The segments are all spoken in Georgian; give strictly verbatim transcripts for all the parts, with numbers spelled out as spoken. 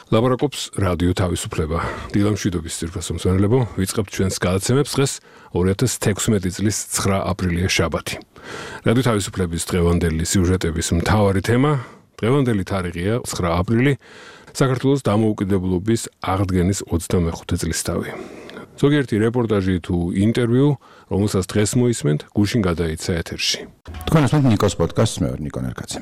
ლაპარაკობს რადიო თავისუფლება. დილამშვიდობის ძირფას მომსვენებლებო, ვიწყებთ ჩვენს გადაცემებს დღეს ორი ათას თექვსმეტი წლის ცხრა აპრილია შაბათი. რადიო თავისუფლების დღევანდელი სიუჟეტების მთავარი თემა, დღევანდელი თარიღია ცხრა აპრილი, საქართველოს დამოუკიდებლობის აღდგენის ოცდამეხუთე წლისთავი. ზოგიერთი რეპორტაჟი თუ ინტერვიუ, რომელსაც დღეს მოისმენთ, გუშინ გადაიცა ეთერში. თქვენ ასმენთ ნიკოს პოდკასტს, მე ვარ ნიკო ნერკაცი.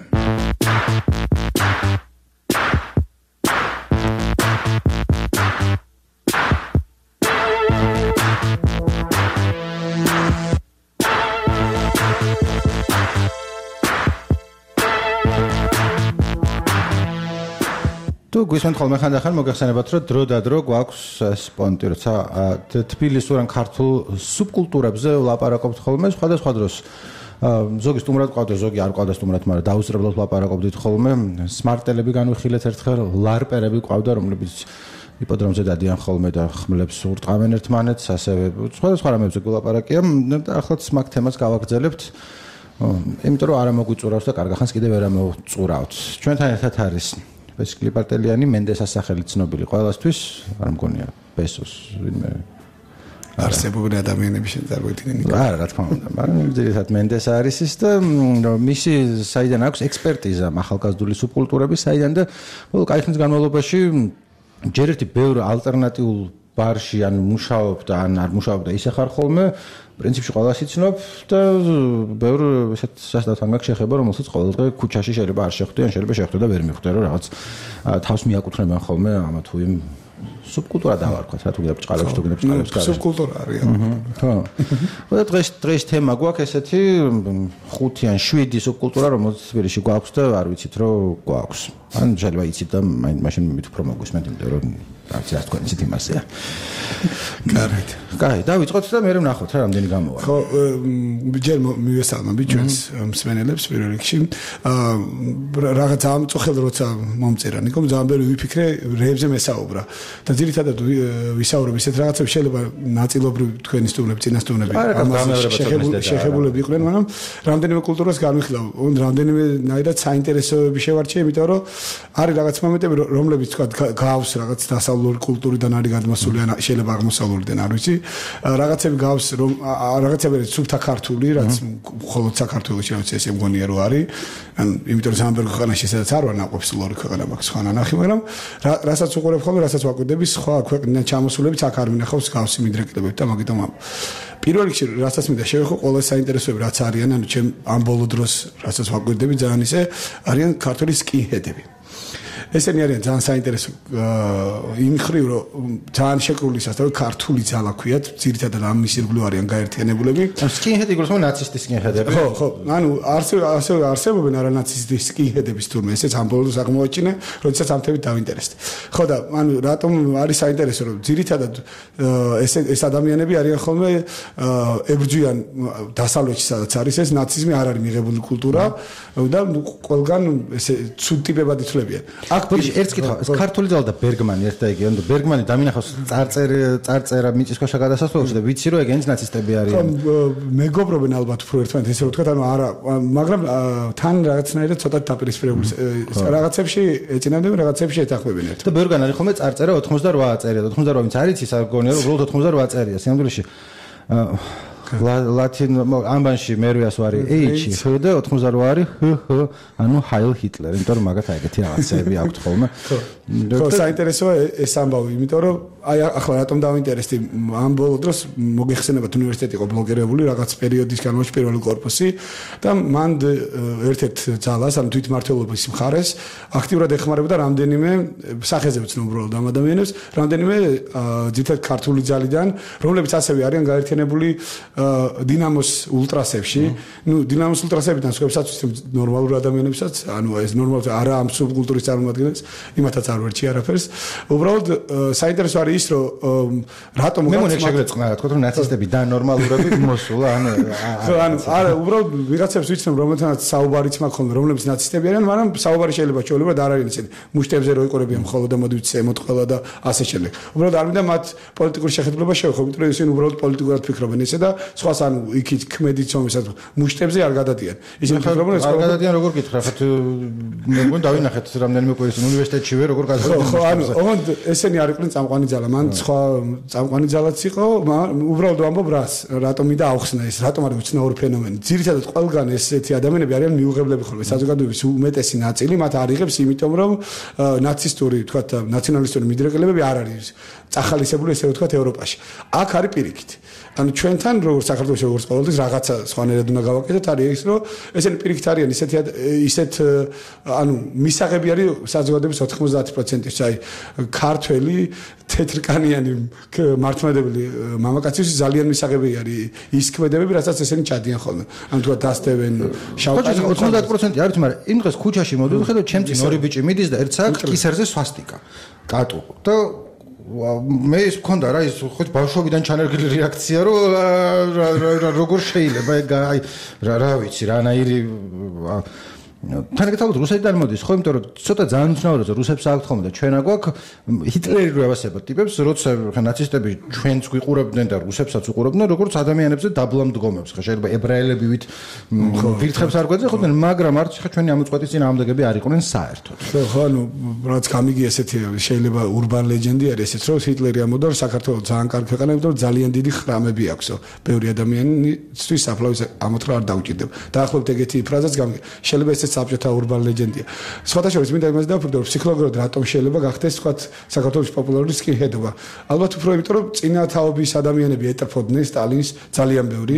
თუ გვისმენთ ხოლმე ხანდახან მოგეხსენებათ, რომ დრო და დრო გვაქვს სპონტი, როცა თბილისურ ან ქართულ სუბკულტურებზე ვლაპარაკობთ ხოლმე, სხვადასხვა დროს ზოგი სტუმრად ყავდა, ზოგი არ ყავდა სტუმრად, მაგრამ დაუსწრებლად ვლაპარაკობდით ხოლმე. სმარტელები განვიხილეთ ერთხელ, ლარპერები ყავდა, რომლებიც იპოდრომზე დადიან ხოლმე და ხმლებს ურტყავენ ერთმანეთს, ასევე სხვადასხვა რამებზე გულაპარაკია და ახლაც მაგ თემას გავაგრძელებთ. იმიტომ რომ არ მოგვიწურავთ და კარგ ახანს კიდევ ვერ ამოვწურავთ. ჩვენთან ერთად არის ბესკლი პარტელიანი, მენდესას სახელი ცნობილი ყველასთვის, არ მგონია ბესოს ვინმე არსებობენ ადამიანები შეძარღვეთინენ. არა, რა თქმა უნდა, მაგრამ ძირითადად მენდესა არის ის და მისი საიდან აქვს ექსპერტიზა ახალგაზრდული სუბკულტურების საიდან და ბოლო კაი ხნის განმავლობაში ჯერ ერთი ბევრ ალტერნატიულ ბარში ან მუშაობდა, ან არ მუშაობდა, ისე ხარ ხოლმე, პრინციპში ყველას იცნობ და ბევრ ესეთ სასწრაფთან გაქვს შეხება, რომელსაც ყოველდღე ქუჩაში შეიძლება არ შეხვდე, ან შეიძლება შეხვდე და ვერ მიხვდე, რომ რაღაც თავს მიაკუთვნებენ ხოლმე ამა თუ იმ სუბკულტურა დავარქვათ, რა თუ გინდა ბჭყალებს თუ გინდა ბჭყალებს კარგი. სუბკულტურა არის. ხო. და დღეს დღეს თემა გვაქვს ესეთი ხუთი ან შვიდი სუბკულტურა, რომელიც თბილისში გვაქვს და არ ვიცით რომ გვაქვს. ან შეიძლება იცით და მაშინ მით უფრო მოგვისმენთ, იმიტომ რომ არც რა თქვენ იცით იმასეა. კარგით. კაი, დავიწყოთ და მე ვნახოთ რა რამდენი გამოვა. ხო, ჯერ მივესალმები ჩვენს მსმენელებს პირველ რიგში. აა რაღაც ამწუხელ როცა მომწერა, ნიკომ ძალიან ბევრი ვიფიქრე, რეებზე მესაუბრა. და ძირითადად ვისაუბრებ ისეთ რაღაცებს, შეიძლება ნაწილობრივ თქვენი სტუმრები, წინასწუნები შეხებულები იყვნენ, მაგრამ რამდენიმე კულტურას განვიხილავ, რამდენიმე ნაირად საინტერესოები შევარჩიე, იმიტომ რომ არის რაღაც მომენტები, რომლებიც თქვა გავს რაღაც დასავლური კულტურიდან არის გადმოსული, ან შეიძლება აღმოსავლურიდან არ ვიცი. რაღაცები გავს, რომ რაღაცები არის სუფთა ქართული, რაც მხოლოდ საქართველოში არის ესე მგონია რომ არის. ან იმიტომ რომ სამბერგ ქვეყანაში სადაც არ ვარ ნაყოფს ლორი ქვეყანა მაქვს ხან ანახი, მაგრამ რასაც უყურებ ხოლმე, რასაც ვაკვირდები, სხვა ქვეყნიდან ჩამოსულებიც აქ არ მინახავს გავსი მიდრეკლებებით და მაგიტომ პირველ რიგში რასაც მინდა შევეხო ყველა საინტერესოები რაც არიან, ანუ ჩემ ამ ბოლო დროს რასაც ვაკვირდები ძალიან ისე არიან ქართული სკინჰედები. ესენი არიან ძალიან საინტერესო იმ ხრივ რომ ძალიან შეკრული სასწავლო ქართული ძალა ქვიათ, ძირითადად ამ მისირგვლივ არიან გაერთიანებულები. სკინჰედი გულს მო ნაცისტი სკინჰედები. ხო, ხო, ანუ ასევე არსებობენ არანაცისტი სკინჰედების თურმე, ესეც ამ ბოლოს აღმოაჩინე, როდესაც ამ თემით დავინტერესდი. ხო და ანუ რატომ არის საინტერესო, რომ ძირითადად ეს ეს ადამიანები არიან ხოლმე ებრძვიან დასავლეთში, სადაც არის ეს ნაციზმი, არ არის მიღებული კულტურა და ყველგან ესე ცუდ ტიპებად ითვლებიან. აქ ერთ კითხვა, ქართული ძალა და ბერგმანი ერთ და იგივე, ანუ ბერგმანი დამინახავს წარწერა წარწერა მიწისქვეშა გადასასვლელში და ვიცი რომ ეგენიც ნაცისტები არიან. მეგობრობენ ალბათ უფრო ერთმანეთს, ესე რომ თქვა, ანუ არა, მაგრამ თან რაღაცნაირად ცოტა დაპირისპირებული რაღაცებში ეწინადებენ, რაღაცებში ეთანხმებიან ერთად. და ბევრგან არის ხოლმე წარწერა ოცდაოთხ წერია, ოცდაოთხ ვინც არ იცის, არ გონია რომ უბრალოდ ოცდაოთხ წერია სინამდვილეში. ლათინ ამბანში მერვიას ვარი ეიჩი ხ და ოცდაოთხ არის ჰ ჰ, ანუ ჰაილ ჰიტლერ, იმიტომ რომ მაგათ ეგეთი რაღაცები აქვთ ხოლმე. ხო, საინტერესოა ეს ამბავი, იმიტომ რომ აი ახლა რატომ დავინტერესდი ამ ბოლო დროს მოგეხსენებათ უნივერსიტეტი იყო ბლოკირებული რაღაც პერიოდის განმავლობაში პირველი კორპუსი და მან ერთ-ერთ ძალას, ანუ თვითმმართველობის მხარეს აქტიურად ეხმარებოდა რამდენიმე სახეზე ვცნობ უბრალოდ ამ ადამიანებს, რამდენიმე ძირითადად ქართული ძალიდან, რომლებიც ასევე არიან გაერთიანებული დინამოს ულტრასებში. ნუ დინამოს ულტრასებიდან სხვებსაც ვცნობ ნორმალურ ადამიანებსაც, ანუ ეს ნორმალურად არა ამ სუბკულტურის წარმომადგენლებს, იმათაც არ ვერჩი არაფერს. უბრალოდ საინტერესო არის ის რომ რატომ მე მგონია შეგეწყნა რა თქო რომ ნაცისტები და ნორმალურები მოსულა ანუ ანუ არა უბრალოდ ვიღაცებს ვიცნობ რომელთანაც საუბარიც მაქვს ხოლმე რომლებიც ნაცისტები არიან მაგრამ საუბარი შეიძლება ჩვეულებრივად არ არის ისეთი მუშტებზე რო იყურებიან მხოლოდ და მოდი ვიცი ემოტყველა და ასე შემდეგ უბრალოდ არ მინდა მათ პოლიტიკური შეხედულება შევეხო იმიტომ რომ ისინი უბრალოდ პოლიტიკურად ფიქრობენ ისე და სხვას ანუ იქით ქმედით ცომისაც მუშტებზე არ გადადიან ისინი ფიქრობენ ეს არ გადადიან როგორ გითხრა ხათ მე მგონი დავინახეთ რამდენიმე კვირის უნივერსიტეტშივე როგორ გადადიან ხო ანუ ოღონდ ესენი არ იყვნენ წამყვანი ძალა მან სხვა წამყვანი ძალაც იყო უბრალოდ ვამბობ რას რატომ მინდა ავხსნა ეს რატომ არის უცნაური ფენომენი ძირითადად ყველგან ესეთი ადამიანები არიან მიუღებლები ხოლმე საზოგადოების უმეტესი ნაწილი მათ არ იღებს იმიტომ რომ ნაცისტური თქვა ნაციონალისტური მიდრეკელებები არ არის წახალისებული ესე ვთქვათ ევროპაში აქ არის პირიქით ანუ ჩვენთან როგორც საქართველოს როგორც ყოველთვის რაღაცა სხვანაირად უნდა გავაკეთოთ არის ის რომ ესენი პირიქით არიან ისეთი ისეთ ანუ მისაღები არის საზოგადოების ოთხმოცდაათი პროცენტი აი ქართველი თეთრკანიანი მართლმადებელი მამაკაცის ძალიან მისაღები არის ის ქმედებები რასაც ესენი ჩადიან ხოლმე ანუ თქვა დასტევენ შავკანი ოთხმოცდაათი პროცენტი არის მაგრამ იმ დღეს ქუჩაში მოდიოდი ხედავ ჩემ წინ ორი ბიჭი მიდის და ერთსა კისერზე სვასტიკა კატუ და მე ის მქონდა რა ის ხო ბავშვობიდან ჩანერგილი რეაქცია რომ როგორ შეიძლება აი რა ვიცი რანაირი თანაგთავად რუსეთიდან მოდის ხო იმიტომ რომ ცოტა ძალიან უცნაურია რუსებს აქვთ ხოლმე და ჩვენ აგვაქვს ჰიტლერი რო ევასებათ ტიპებს როცა ნაცისტები ჩვენც გვიყურებდნენ და რუსებსაც უყურებდნენ როგორც ადამიანებზე დაბლა მდგომებს ხო შეიძლება ებრაელებივით ვირთხებს არ გვეძახ ხოდნენ მაგრამ არც ხა ჩვენი ამოწყვეტის წინ ამდაგები არ იყვნენ საერთოდ ხო ანუ რაც გამიგი ესეთი შეიძლება urban legend-ი არის ესეც რომ ჰიტლერი ამოდა რომ საქართველოს ძალიან კარგი ქვეყანა იმიტომ რომ ძალიან დიდი ხრამები აქვს ბევრი ადამიანისთვის საფლავის ამოთხრა არ დაუჭირდება დაახლოებით ეგეთი ფრაზაც გამიგი შეიძლება ესეც საბჭოთა urban legend-ია. სხვათა შორის მინდა იმას დავფიქრო, რომ ფსიქოლოგიურად რატომ შეიძლება გახდეს თქვათ საქართველოს პოპულარული სკინჰედობა. ალბათ უფრო იმიტომ რომ წინა თაობის ადამიანები ეტრფოდნენ სტალინს ძალიან ბევრი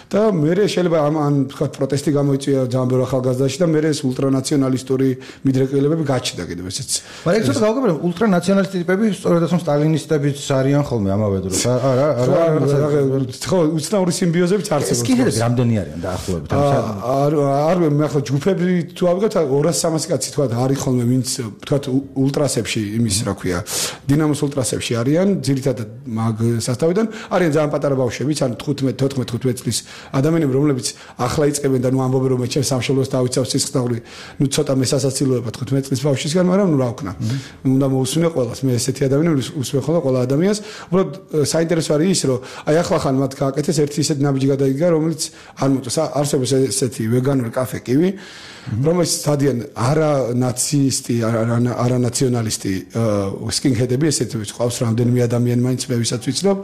და მე შეიძლება ამ ან თქვათ პროტესტი გამოიწვია ძალიან ბევრ ახალგაზრდაში და მე ეს ულტრანაციონალისტური მიდრეკელებები გაჩნდა კიდევ ესეც. მაგრამ ეს გავაგებია ულტრანაციონალისტი ტიპები სწორედ ამ სტალინისტებიც არიან ხოლმე ამავე დროს. არა, არა, არა, ხო, უცნაური სიმბიოზებიც არსებობს. სკინჰედები რამდენი არიან დაახლოებით? არ არ მე ახლა ჯგუფები თუ ავიღოთ ორასი სამასი კაცი თქვათ არის ხოლმე ვინც თქვათ ულტრასებში იმის რა ქვია დინამოს ულტრასებში არიან ძირითადად მაგ სასტავიდან არიან ძალიან პატარა ბავშვებიც ან თხუთმეტ თოთხმეტ თხუთმეტ წლის ადამიანები რომლებიც ახლა იწყებენ და ნუ ამბობენ რომ მე ჩემს სამშობლოს დავიცავს სისხლდაღური ნუ ცოტა მესასაცილოება თხუთმეტ წლის ბავშვისგან მაგრამ ნუ რა ვქნა უნდა მოусმინე ყველას მე ესეთი ადამიანები უსმენ ხოლმე ყველა ადამიანს უბრალოდ საინტერესო არის ის რომ აი ახლა ხან მათ გააკეთეს ერთი ისეთი ნაბიჯი გადაიგა რომელიც არ მოწეს არსებობს ესეთი ვეგანური კაფე კივი რომელიც სადიან არა ნაცისტი არა ნაციონალისტი სკინჰედები ესეთი ყავს რამდენიმე ადამიანი მაინც მე ვისაც ვიცნობ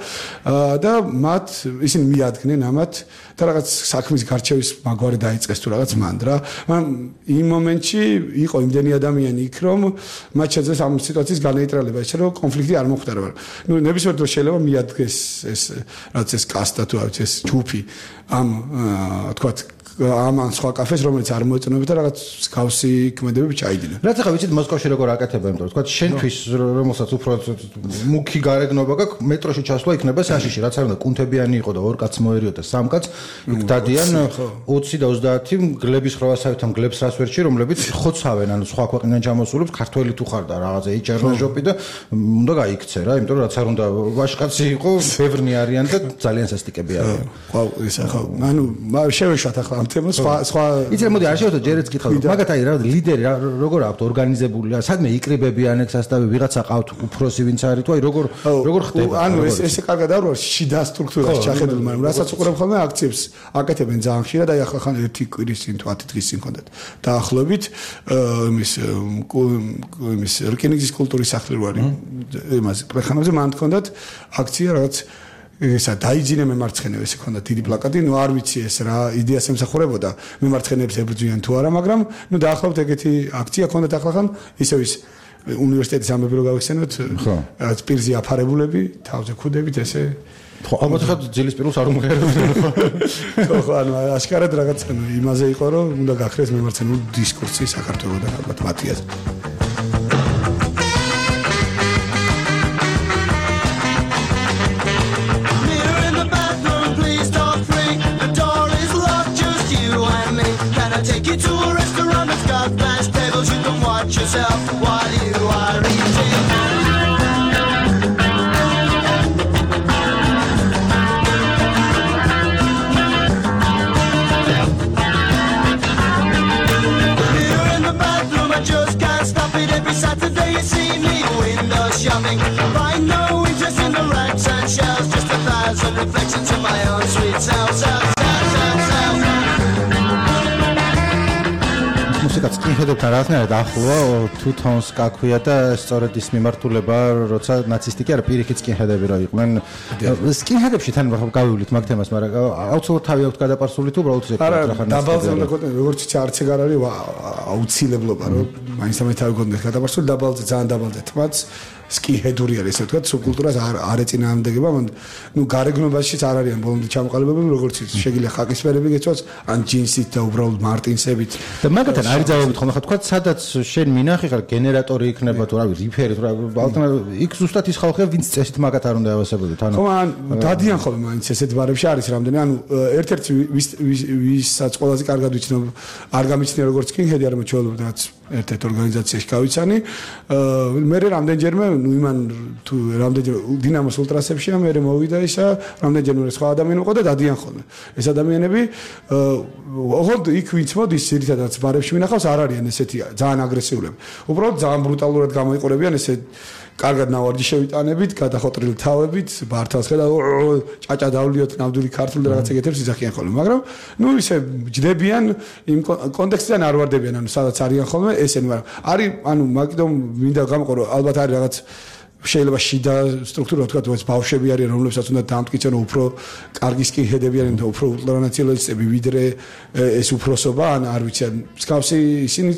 და მათ ისინი მიადგნენ ამათ და რაღაც საქმის გარჩევის მაგვარი დაიწყეს თუ რაღაც მანდრა მაგრამ იმ მომენტში იყო იმდენი ადამიანი იქ რომ მათ შეძლეს ამ სიტუაციის განეიტრალება ისე რომ კონფლიქტი არ მოხდა მაგრამ ნუ ნებისმიერ დროს შეიძლება მიადგეს ეს რაც ეს კასტა თუ არის ეს ჯუფი ამ თქვათ ამან სხვა კაფეს რომელიც არ მოეწონებოდა რაღაც გავსი ქმედებები ჩაიდინა. რაც ახლა ვიცით მოსკოვში როგორ აკეთებენ, იმიტომ რომ თქვა შენთვის რომელსაც უფრო მუქი გარეგნობა გაქვს, მეტროში ჩასვლა იქნება საშიში, რაც არ უნდა კუნთებიანი იყო და ორ კაც მოერიოდა სამ კაც, იქ დადიან ოცი და ოცდაათი გლების ხროვასავითამ გლებს რასვერჩი, რომლებიც ხოცავენ, ანუ სხვა ქვეყნიდან ჩამოსულებს, ქართველი თუ ხარ და რაღაცა იჭერნაჟოპი და უნდა გაიქცე რა, იმიტომ რომ რაც არ უნდა ვაშკაცი იყო, ბევრნი არიან და ძალიან სასტიკები არიან. ხო, ეს ახლა ანუ შევეშვათ ახლა თემას სხვა სხვა იცი მოდი არ შევხვდეთ ჯერაც კითხავ მაგათ აი რა ლიდერი როგორ აქვს ორგანიზებული სადმე იკრიბებიან ეგ სასტავი ვიღაცა ყავთ უფროსი ვინც არის თუ აი როგორ როგორ ხდება ანუ ეს ესე კარგად არ ვარ შიდა სტრუქტურაში ჩახედული მაგრამ რასაც უყურებ ხოლმე აქციებს აკეთებენ ძალიან ხშირად აი ახლა ხან ერთი კვირის წინ თუ ათი დღის წინ კონდეთ დაახლოებით იმის იმის რკინიგზის კულტურის სახლი რო არის იმას პრეხანებზე მან კონდეთ აქცია რაღაც ესა დაიძინე მემარცხენეებს ესე ქონდა დიდი პლაკატი, ნუ არ ვიცი ეს რა იდეას ემსახურებოდა მემარცხენეებს ებრძვიან თუ არა, მაგრამ ნუ დაახლოებით ეგეთი აქცია ქონდა ახლა ისევ ის უნივერსიტეტის ამბები რო გავიხსენოთ, რაც პირზე აფარებულები, თავზე ქუდებით ესე ხო, ალბათ ხა ძილის პირულს არ უმღერებდნენ ხო? ხო, ხო, ანუ აშკარად რაღაც იმაზე იყო რომ უნდა გაქრეს მემარცხენეულ დისკურსი საქართველოსთან ალბათ მათიას Take you to a restaurant that's got glass tables. You can watch yourself while you are eating. მუსიკა სკინჰედებთან რაღაცნაირად ახლოა, თუთონს გაქვია და სწორედ ის მიმართულება, როცა ნაცისტი კი არა, პირიქით სკინჰედები რა იყვნენ. სკინჰედებში თან გავივლით მაგ თემას, მაგრამ აუცილებლად თავი აქვს გადაპარსული თუ უბრალოდ ეს არა, დაბალზე უნდა გქონდეს, როგორც იცი, არც ეგ არ არის აუცილებლობა, რომ მაინც ამე თავი გქონდეს გადაპარსული, დაბალზე ძალიან დაბალზე თმაც სკინჰედური არის, ესე ვთქვათ, სუბკულტურას არ არ ეწინააღმდეგება, ნუ გარეგნობაშიც არ არიან ბოლომდე ჩამოყალიბებები, როგორც იცი, შეგიძლია ხაკისფერები გეცვას, ან ჯინსით და უბრალოდ მარტინსებით. და მაგათთან არის ძალებით ხოლმე ხა თქვა, სადაც შენ მინახი ხარ გენერატორი იქნება თუ რავი, რიფერი თუ რა, ალტერნატივა იქ ზუსტად ის ხალხია, ვინც წესით მაგათ არ უნდა ევასებოდეთ, ანუ ხო, ან დადიან ხოლმე მაინც ესეთ ბარებში არის რამდენი, ანუ ერთ-ერთი ვისაც ყველაზე კარგად ვიცნობ, არ გამიცნია როგორც სკინჰედი, არამედ ჩვეულებრივ ერთ-ერთ ორგანიზაციაში გავიცანი. მე რამდენჯერმე ნუ იმან თუ რამდენჯერმე დინამოს ულტრასებში მე მოვიდა ისა, რამდენჯერმე სხვა ადამიანი იყო და დადიან ხოლმე. ეს ადამიანები ოღონდ იქ ვინც მოდის ძირითადად ბარებში მინახავს არ არიან ესეთი ძალიან აგრესიულები. უბრალოდ ძალიან ბრუტალურად გამოიყურებიან ესე კარგად ნავარჯი შევიტანებით, გადახოტრილი თავებით, ბართას ხედავ, ჭაჭა დავლიოთ ნამდვილი ქართული რაღაცა ეგეთებს იძახიან ხოლმე, მაგრამ ნუ ისე ჯდებიან იმ კონტექსტიდან არ ვარდებიან, ანუ სადაც არიან ხოლმე ესენი, მაგრამ არის, ანუ მაგიტომ მინდა გამყო, რომ ალბათ არის რაღაც შეიძლება შიდა სტრუქტურა თქვა, ეს ბავშვები არიან, რომლებსაც უნდა დამტკიცონ, უფრო კარგი სკინჰედები არიან და უფრო ულტრანაციონალისტები, ვიდრე ეს უფროსობა, ან არ ვიცი, მსგავსი ისინი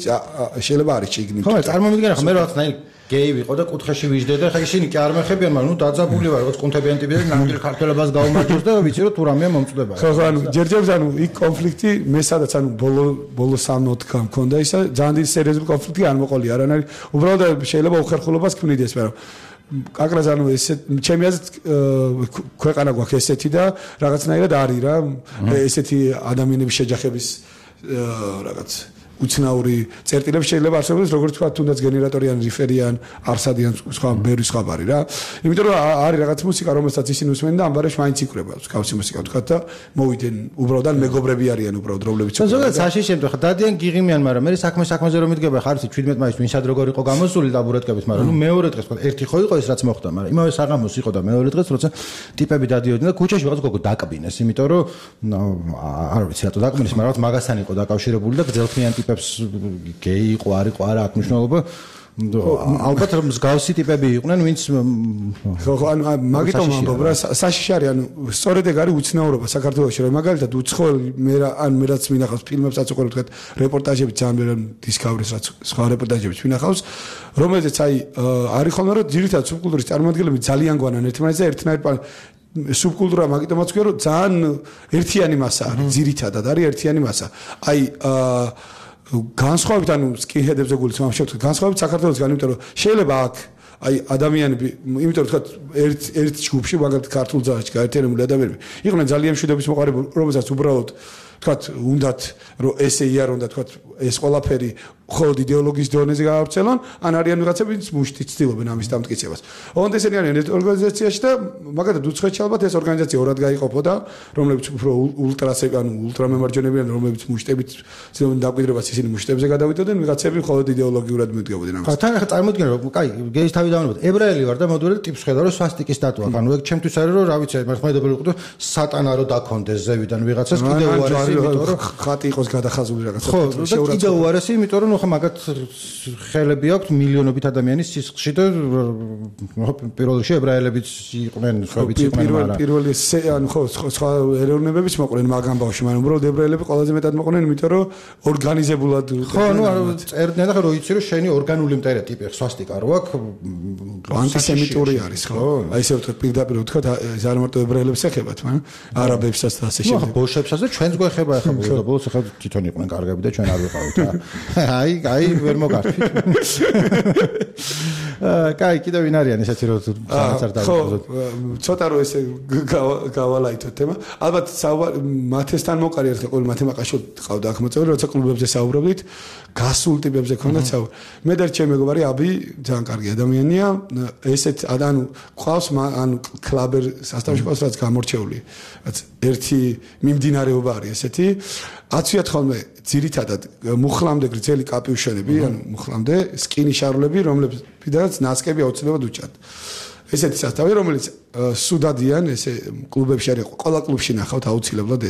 შეიძლება არის შეგნით. ხო, წარმოვიდგენ ახლა მე რაღაცნაირი გეი ვიყო და კუთხეში ვიждდე და ხა ისინი კი არ მეხებიან, მაგრამ ნუ დაძაბული ვარ, როგორც კუნთებიან ტიპები და ნამდვილ ქართველებას გაუმარჯოს და ვიცი რომ თუ რამეა მომწდება. ხო, ანუ ჯერჯერობით ანუ იქ კონფლიქტი მე სადაც ანუ ბოლო ბოლო სამოთხა მქონდა ისა, ძალიან დიდი სერიოზული კონფლიქტი არ მოყოლია, არანაირი უბრალოდ შეიძლება უხერხულობას ქმნიდეს, მაგრამ კაკრას ანუ ესე ჩემი აზრით ქვეყანა გვაქვს ესეთი და რაღაცნაირად არის რა ესეთი ადამიანების შეჯახების რაღაც უცნაური წერტილები შეიძლება არსებობდეს, როგორც თქვა, თუნდაც გენერატორი ან რიფერი ან არსადი ან სხვა ბევრი სხვა ბარი რა. იმიტომ რომ არის რაღაც მუსიკა, რომელსაც ისინი უსმენენ და ამ ბარებში მაინც იკვრება. გავსი მუსიკა თქვა და მოვიდნენ უბრალოდ ან მეგობრები არიან უბრალოდ რომლებიც. ზოგადად საშიში შემთხვევაში ხა დადიან გიღიმიან, მაგრამ მე საქმე საქმეზე რომ მიდგება, ხარ იცი შვიდმეტ მაისს ვინსად როგორ იყო გამოსული და აბურატკებით, მაგრამ ნუ მეორე დღეს თქვა, ერთი ხო იყო ეს რაც მოხდა, მაგრამ იმავე საღამოს იყო და მეორე დღეს როცა ტიპები დადიოდნენ და ქუჩაში რაღაც გოგო დაკბინეს, იმიტომ რომ არ ვიცი რატო დაკბინეს, მაგრამ რაღაც მაგასთან იყო დაკავშირებული და გძელთმიან ტიპებს გეი იყო, არ იყო, არა აქვს მნიშვნელობა. ალბათ მსგავსი ტიპები იყვნენ, ვინც ხო ხო, ანუ მაგიტომ ამბობ რა, საშიში არის, ანუ სწორედ ეგ არის უცნაურობა საქართველოში, რომ მაგალითად უცხოელი მე რა, ან მე რაც მინახავს ფილმებსაც უყურებ, თქვა რეპორტაჟები ძალიან ბევრი დისკავრის რაც სხვა რეპორტაჟებიც მინახავს, რომელზეც აი არის ხოლმე რომ ძირითადად სუბკულტურის წარმოადგენლები ძალიან გვანან ერთმანეთს და ერთნაირ სუბკულტურა მაგიტომაც ქვია, რომ ძალიან ერთიანი მასა არის, ძირითადად არის ერთიანი მასა. აი აა განსხვავებით ანუ სკინჰედებზე გულიც ამ შევთქვათ განსხვავებით საქართველოსგან, იმიტომ რომ შეიძლება აქ აი ადამიანები, იმიტომ რომ თქვა ერთ ერთ ჯგუფში მაგალითად ქართულ ძაღლში გაერთიანებული ადამიანები იყვნენ ძალიან მშვიდობის მოყარებული, რომელსაც უბრალოდ თქვათ უნდათ რომ ესე იარონ და თქვათ ეს ყველაფერი მხოლოდ იდეოლოგიის დონეზე გაავრცელონ, ან არიან ვიღაცები, ვინც მუშტით ცდილობენ ამის დამტკიცებას. ოღონდ ესენი არიან ერთ ორგანიზაციაში და მაგალითად უცხოეთში ალბათ ეს ორგანიზაცია ორად გაიყოფოდა, რომლებიც უფრო ულტრასები, ანუ ულტრამემარჯვენეები ან რომლებიც მუშტებით ცდილობენ დამკვიდრებას, ისინი მუშტებზე გადავიდოდნენ, ვიღაცები მხოლოდ იდეოლოგიურად მიდგებოდნენ ამას. ხა თან ახლა წარმოიდგინე რომ კაი, გეის თავი დავანებოთ, ებრაელი ვარ და მოდურო ტიპს ხედავ რომ სვასტიკის სტატუა, ანუ ეგ ჩემთვის არის რომ რა ვიცი, მართლმადიდებელი იყო სატანა რო დაქონდეს ზევიდან ვიღაცას კიდე უარესი, იმიტომ რომ ხატი იყოს გადახაზული რაღაცა. ხო, და კიდე უარესი, იმიტომ რომ ხო მაგათ ხელები აქვს მილიონობით ადამიანის სისხლში და პირველ რიგში ებრაელებიც იყვნენ, სხვაებიც იყვნენ, მაგრამ პირველი ანუ ხო სხვა ეროვნებებიც მოყვნენ მაგ ამბავში, მაგრამ უბრალოდ ებრაელები ყველაზე მეტად მოყვნენ, იმიტომ რომ ორგანიზებულად ხო, ნუ წერდნენ და ხო რო იცი რომ შენი ორგანული მტერე ტიპი სვასტიკა რო აქვს ანტისემიტური არის, ხო? აი ესე ვთქვათ პირდაპირ ვთქვათ, ეს არ მარტო ებრაელებს ეხებათ, მაგრამ არაბებსაც და ასე შემდეგ. ხო, ბოშებსაც და ჩვენს გვეხება ახლა ბოლოს ახლა თვითონ იყვნენ კარგები და ჩვენ არ ვიყავით რა. აი, აი ვერ მოგარჩით. აა, კაი, კიდევ ვინ არიან ესეთი რომ რაღაც არ დავიწყოთ. ხო, ცოტა რომ ესე გავალაითოთ თემა. ალბათ მათესთან მოყარი ერთხელ ყოველ მათემატიკაში ყავდა აქ მოწვეული, როცა კლუბებზე საუბრობდით, გასულ ტიპებზე ქონდა საუბარი. მე და ჩემი მეგობარი აბი ძალიან კარგი ადამიანია, ესეთ ანუ ყავს ანუ კლაბერ სასტავში ყავს რაც გამორჩეული. რაც ერთი მიმდინარეობა არის ესეთი. აცვიათ ხოლმე ძირითადად მუხლამდე გრძელი კაპიუშონები, ანუ მუხლამდე სკინი შარლები, რომლებიდანაც ნასკები აუცილებლად უჭართ. ესეთი სასტავი, რომელიც სუდადიან ესე კლუბებში არის, ყველა კლუბში ნახავთ აუცილებლად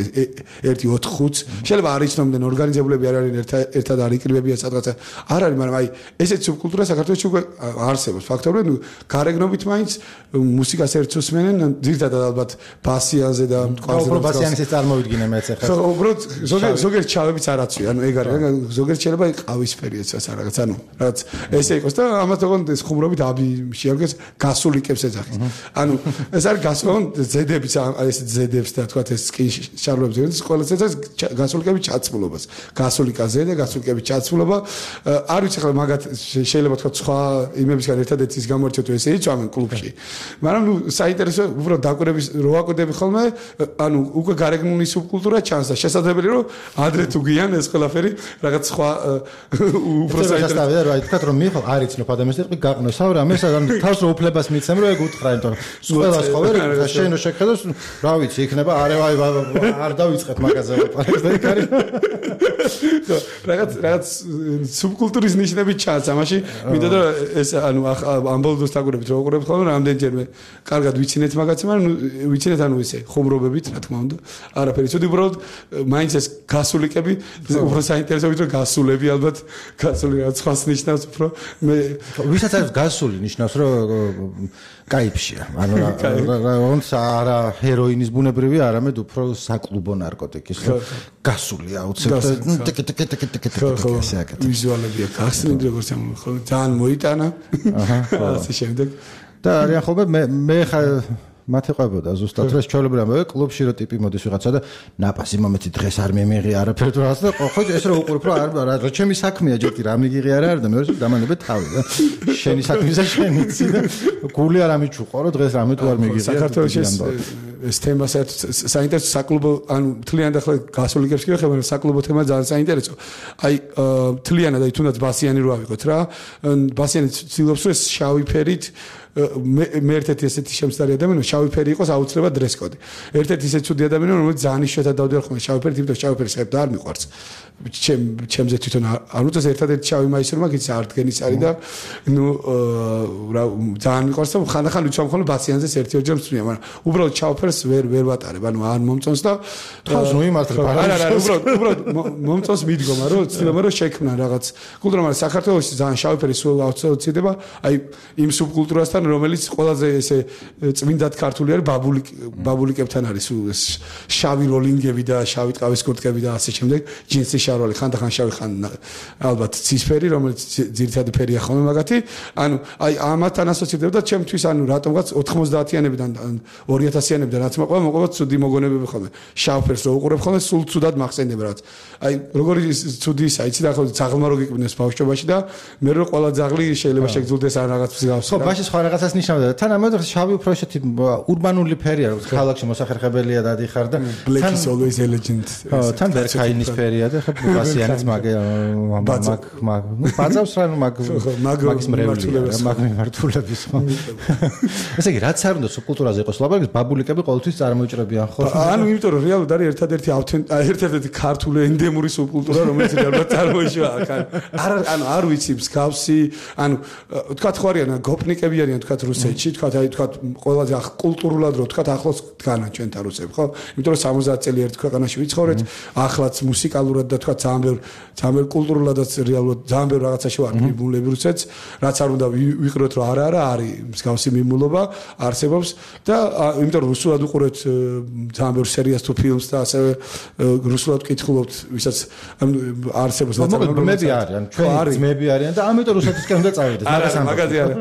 ერთი ოთხ ხუთს. შეიძლება არ იცნობდნენ ორგანიზებულები არ არიან ერთად არ იკრიბებიან სადღაცა. არ არის, მაგრამ აი ესეთი სუბკულტურა საქართველოში უკვე არსებობს. ფაქტობრივად გარეგნობით მაინც მუსიკას ერთს უსმენენ, ძირითადად ალბათ ბასიანზე და კვარზე. უფრო ბასიანის ეს წარმოვიდგინე მეც ახლა. ხო, უბრალოდ ზოგიერთ ზოგიერთ ჩავებიც არ აცვი, ანუ ეგ არის, ზოგიერთ შეიძლება ყავისფერიაც რაღაც, ანუ რაღაც ესე იყოს და ამათ თქონ ეს ხუმრობით აბი შეარგეს გასულიკებს ეძახის. ანუ ეს არის გასულონ ზედებიც ეს ზედებს და თქვა ეს სკინ შარლებს ეს ყველას ეს გასულიკების ჩაცმულობას. გასულიკა ზედე, გასულიკების ჩაცმულობა. არ ვიცი ხლა მაგათ შეიძლება თქვა სხვა იმებისგან ერთადერთი ის გამორჩეთ ესე იწვამენ კლუბში. მაგრამ ნუ საინტერესო უბრალოდ დაკვირების რო აკვირდები ხოლმე, ანუ უკვე გარეგნული სუბკულტურა ჩანს და შესაძლებელი რომ ადრე თუ გიან ეს ყველაფერი რაღაც სხვა უფრო საინტერესოა რა თქვა რომ მიხო არ იცნობ ადამიანს ეტყვი გაყნო სავრამეს ან თავს რო უფლებას მიცემ რომ ეგ უთხრა იმიტომ რომ ყველას ხო ვერ შენო შეხედოს რა ვიცი იქნება არევაი არ დავიწყეთ მაგაზე ვაპარაკს და იქ არის რაღაც რაღაც სუბკულტურის ნიშნები ჩანს ამაში მინდა და ეს ანუ ამბოლდოს დაგვირებით რო უყურებთ ხოლმე რამდენჯერმე კარგად ვიცინეთ მაგაცი მაგრამ ვიცინეთ ანუ ისე ხუმრობებით რა თქმა უნდა არაფერი ცუდი უბრალოდ მაინც ეს გასულიკები უფრო საინტერესოა რომ გასულები ალბათ გასული რაც ხას ნიშნავს უფრო მე ვისაც არის გასული ნიშნავს რომ кайფშია ანუ რონც არა ჰეროინის ბუნებრივი არამედ უფრო საკლუბო ნარკოტიკის გასული აუცილებლად ნუ ტიკ ტიკ ტიკ ტიკ ტიკ ესე აკეთებს ვიზუალებია გასული როგორც ამ ხო ძალიან მოიტანა აჰა ასე შემდეგ და არიან ხოლმე მე მე ხა მათეყვებოდა ზუსტად რა შეჩვეულებრივი ამბავი კლუბში რო ტიპი მოდის ვიღაცა და ნაპასი მომეცი დღეს არ მემიღი არაფერ თუ რაღაც და ხო ეს რო უყურებ რომ არ რა ჩემი საქმეა ჯერ კი რა მიგიღი არა არა და მეორე დამანებე თავი და შენი საქმეა შენი ცი და გული არ ამიჩუყო რომ დღეს რამე თუ არ მიგიღი საქართველოში ეს თემა საინტერესო საკლუბო ანუ თლიანად ახლა გასულიკებს კი ვეხება საკლუბო თემა ძალიან საინტერესო აი თლიანად აი თუნდაც ბასიანი რო ავიღოთ რა ბასიანი ცდილობს რომ ეს შავი ფერით მე ერთ-ერთი ესეთი შემცდარი ადამიანი შავი ფერი იყოს აუცილებლად დრესკოდი. ერთ-ერთი ისეთი ცუდი ადამიანი რომელიც ძალიან იშვიათად დავდივარ ხოლმე შავი ფერი თვითონ შავი ფერი შეებდა არ მიყვარს. ჩემ ჩემზე თვითონ არ უწევს ერთ-ერთი შავი მაისური მაგის არ დგენის არის და ნუ რა ძალიან მიყვარს და ხანდახან ვიცვამ ხოლმე ბასიანზეს ერთი-ორჯერ მსმენია, მაგრამ უბრალოდ შავ ფერს ვერ ვერ ვატარებ, ანუ არ მომწონს და თავს მოიმართებ არა არა უბრალოდ უბრალოდ მომწონს მიდგომა რომ ცდილობენ რომ შექმნან რაღაც კულტურა, მაგრამ საქართველოში ძალიან შავი ფერი სულ აუცილებლად აი იმ სუბკულტურასთან რომელიც ყველაზე ესე წმინდად ქართული არის ბაბული ბაბულიკებთან არის შავი როლინგები და შავი ტყავის კურტკები და ასე შემდეგ ჯინსის შარვალი ხანდახან შავი ხან ალბათ ცისფერი რომელიც ძირითადი ფერია ხოლმე მაგათი ანუ აი ამათთან ასოცირდება და ჩემთვის ანუ რატომღაც ოთხმოცდაათიანებიდან ორი ათასიანებიდან რაც მოყვება მოყვება ცუდი მოგონებები ხოლმე შავ ფერს რო უყურებ ხოლმე სულ ცუდად მახსენდება რაც აი როგორი ცუდი ისა იცი და ხო ძაღლმა რო გიკვნეს ბავშვობაში და მე რო ყველა ძაღლი შეიძლება შეგძულდეს ან რაღაც მსგავს ხო ბაში სხვა რაღაცას ნიშნავდა თან ამავდროულად შავი უფრო ესეთი ურბანული ფერია როგორც ქალაქში მოსახერხებელია დადიხარ და black is always a legend თან ბერქაინის ფერია და ხო ბასიანიც მაგ მაგ მაგ ნუ ბაძავს რა ნუ მაგ მაგის მრევლია მაგ მიმართულების ხო ესე იგი რაც არ უნდა სუბკულტურაზე იყოს ლაპარაკი ბაბულიკები ყოველთვის წარმოიჭრებიან ხო ანუ იმიტომ რომ რეალურად არის ერთადერთი ერთადერთი ქართული ენდემური სუბკულტურა რომელიც რეალურად წარმოიშვა აქ არ ანუ არ ვიცი მსგავსი ანუ თქვა ხო არიან გოპნიკები არიან თქვა რუსეთში თქვა აი თქვა ყველაზე კულტურულად რო თქვა ახლოს დგანან ჩვენთან რუსები ხო იმიტომ რომ სამოცდაათი წელი ერთ ქვეყანაში ვიცხოვრეთ ახლაც მუსიკალურად და თქვა ძალიან ბევრ ძალიან ბევრ კულტურულადაც რეალურად ძალიან ბევრ რაღაცაში ვარ მიმულები რუსეთს რაც არ უნდა ვიყროთ რომ არა არა არის მსგავსი მიმულობა არსებობს და იმიტომ რომ რუსულად უყურეთ ძალიან ბევრ სერიას თუ ფილმს და ასევე რუსულად ვკითხულობთ ვისაც არსებობს ძმები არიან ჩვენი ძმები არიან და ამიტომ რუსეთისკენ უნდა წავიდეთ მაგას მაგაზე არა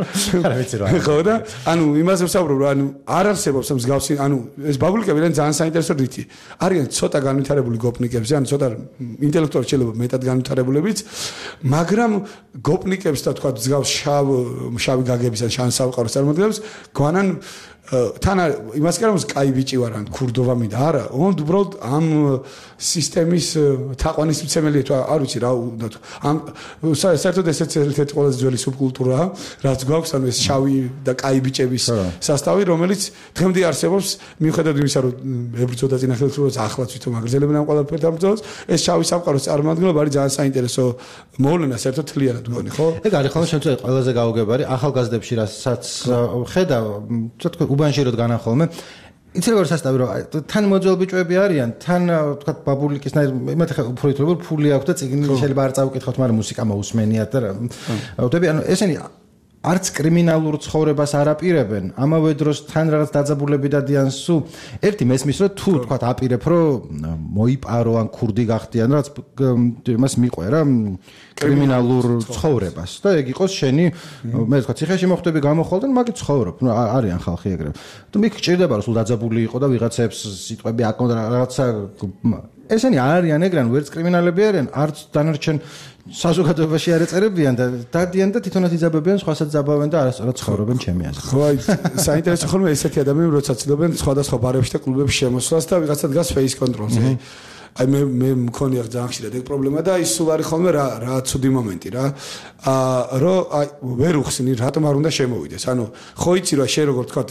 არა ვიცი რა ხო და ანუ იმაზე ვსაუბრობ რომ ანუ არ არსებობს მსგავსი ანუ ეს ბაბულიკები არიან ძალიან საინტერესო რითი არიან ცოტა განვითარებული გოპნიკებზე ანუ ცოტა ინტელექტუალურად შეიძლება მეტად განვითარებულებიც მაგრამ გოპნიკებს და თქვა მსგავს შავ შავი გაგების ან შავ სამყაროს წარმოადგენს გვანან თან იმას კი არ მომს კაი ბიჭი ვარ ან ქურდობა მინდა არა ოღონდ უბრალოდ ამ სისტემის თაყვანისმცემელია თუ არ ვიცი რა უნდა თუ ამ საერთოდ ესეც ერთ-ერთი ყველაზე ძველი სუბკულტურაა რაც გვაქვს ანუ ეს შავი და კაი ბიჭების სასტავი რომელიც დღემდე არსებობს მიუხედავად იმისა რომ ებრძოდა წინახელთურს ახლაც თვითონ აგრძელებენ ამ ყველაფერს დამბრძოლს ეს შავი სამყაროს წარმომადგენლობა არის ძალიან საინტერესო მოვლენა საერთოდ თლიანად მგონი ხო ეგ არის ხოლმე შემთხვევით ყველაზე გაუგებარი ახალგაზრდებში რასაც ხედა თქო უბანში რო დგანან ხოლმე იცი როგორ სასტავი რომ თან მოძველ ბიჭები არიან თან თქვა ბაბულიკისნაირ მე ხა უფრო ითვლება ფული აქვს და წიგნი შეიძლება არ წავკითხოთ მაგრამ მუსიკა მოусმენიათ და ვთები ანუ ესენი არც კრიმინალურ ცხოვრებას არ აპირებენ ამავე დროს თან რაღაც დაძაბულები დადიან სულ ერთი მესმის რომ თუ თქვა აპირებ რომ მოიპარო ან ქურდი გახდიან რაც იმას მიყვერა კრიმინალურ ცხოვრებას და ეგ იყოს შენი მე თქვა ციხეში მოხვდები გამოხვალდნენ მაგით ცხოვრობ ნუ არიან ხალხი ეგრე თუ მიქ ჭირდება რომ სულ დაძაბული იყო და ვიღაცებს სიტყვები აკონდა რაღაცა ესენი არიან ეგრე ან ვერც კრიმინალები არიან არც დანარჩენ საზოგადოებაში არ ეწერებიან და დადიან და თვითონაც იძაბებიან სხვასაც ძაბავენ და არასწორად ცხოვრობენ ჩემი აზრით. ხო, აი, საინტერესო ხოლმე ესეთი ადამიანები როცა ცდილობენ სხვადასხვა ბარებში და კლუბებში შემოსვლას და ვიღაცა დგას face control-ზე. აი მე მე მქონია ძალიან ხშირად ეგ პრობლემა და ის სულ არის ხოლმე რა რა ცუდი მომენტი რა. აა რო აი ვერ უხსნი რატომ არ უნდა შემოვიდეს. ანუ ხო იცი რა შენ როგორ თქვა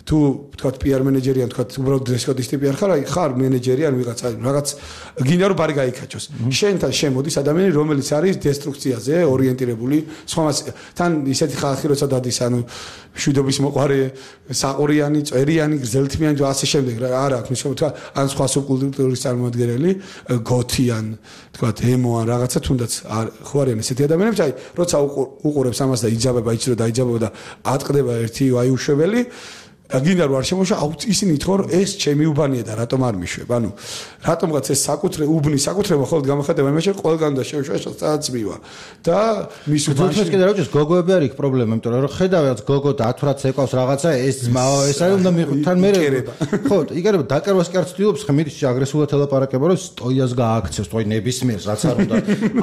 თუ თქვა პიარ მენეჯერი ან თქვა უბრალოდ დრესკოდისტი პიარ ხარ აი ხარ მენეჯერი ან ვიღაცა რაღაც გინდა რომ ბარი გაიქაჩოს შენთან შემოდის ადამიანი რომელიც არის დესტრუქციაზე ორიენტირებული სხვამაც თან ისეთი ხალხი როცა დადის ანუ მშვიდობის მოყარე საყურიანი წერიანი გრძელთმიანი და ასე შემდეგ რა არა აქვს მის თქვა ან სხვა სუბკულტურის წარმოადგენელი გოთიან თქვა ემო ან რაღაცა თუნდაც ხო არიან ესეთი ადამიანები აი როცა უყურებს ამას და იძაბება იცი რომ დაიძაბება და ატყდება ერთი აი უშვებელი და გინდა რომ არ შემოშვა აუც ისინი თქო ეს ჩემი უბანია და რატომ არ მიშვებ ანუ რატომღაც ეს საკუთრე უბნის საკუთრება ხოლმე გამოხატება იმაში ყველგან და შევშვა წაწმივა და მის უბანში თუნდაც კიდე რა ვიცი გოგოები არის პრობლემა იმიტომ რომ ხედავთ გოგო და ათვრაც ეკავს რაღაცა ეს ეს არის უნდა თან მე ხო იგერება დაკარვას კი არ ცდილობს ხე მიდის აგრესიულად ელაპარაკება რომ სტოიას გააქცევს თოი ნებისმიერს რაც არ უნდა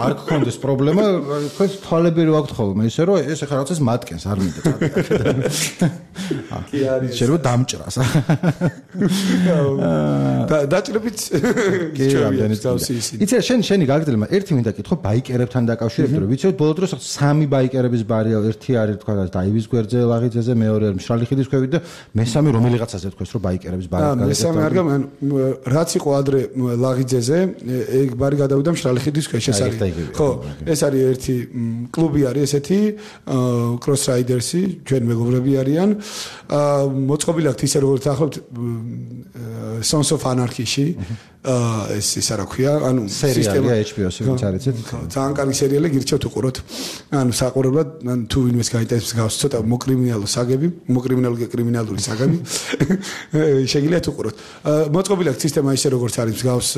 არ გქონდეს პრობლემა თქვენ თვალები რო აქვთ ხოლმე ისე რომ ეს ახლა რაღაცას მატკენს არ მინდა კი არის შეიძლება დამჭრას. და დაჭრებით ჩვენი თავსი ისინი. იცი შენ შენი გაგრძელება ერთი მინდა კითხო ბაიკერებთან დაკავშირებით რომ ვიცი ბოლო დროს სამი ბაიკერების ბარია ერთი არის თქვა დაივის გვერდზე ლაღიძეზე მეორე არის მშრალი ხიდის ქვევით და მესამე რომელიღაცაზე თქვეს რომ ბაიკერების ბარი გაგეთდა. მესამე არ გამ რაც იყო ადრე ლაღიძეზე ეგ ბარი გადავიდა მშრალი ხიდის ქვეშ ეს არის. ხო ეს არის ერთი კლუბი არის ესეთი კროს რაიდერსი ჩვენ მეგობრები არიან. მოწყობილი აქვს ისე როგორც ახლობთ Sons of Anarchy-ში ეს ის რა ქვია ანუ სისტემა ეიჩ პი ო-ში ვინც არიცით ძალიან კარგი სერიალი გირჩევთ უყუროთ ანუ საყურებლად ან თუ ვინმეს გაინტერესებს გავს ცოტა მოკრიმინალო საგები მოკრიმინალური კრიმინალური საგები შეგიძლიათ უყუროთ მოწყობილი აქვს სისტემა ისე როგორც არის გავს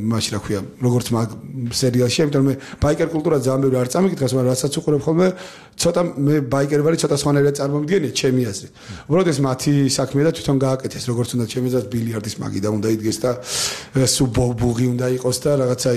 მაშინ რა ქვია როგორც მაგ სერიალში იმიტომ მე ბაიკერ კულტურა ძალიან ბევრი არ წამიკითხავს მაგრამ რასაც უყურებ ხოლმე ცოტა მე ბაიკერი ვარ ცოტა სხვანაირად წარმომიდგენია ჩემი აზრით უბრალოდ ეს მათი საქმეა და თვითონ გააკეთეს როგორც უნდა ჩემი აზრით ბილიარდის მაგიდა უნდა იდგეს და სუბბუღი უნდა იყოს და რაღაცა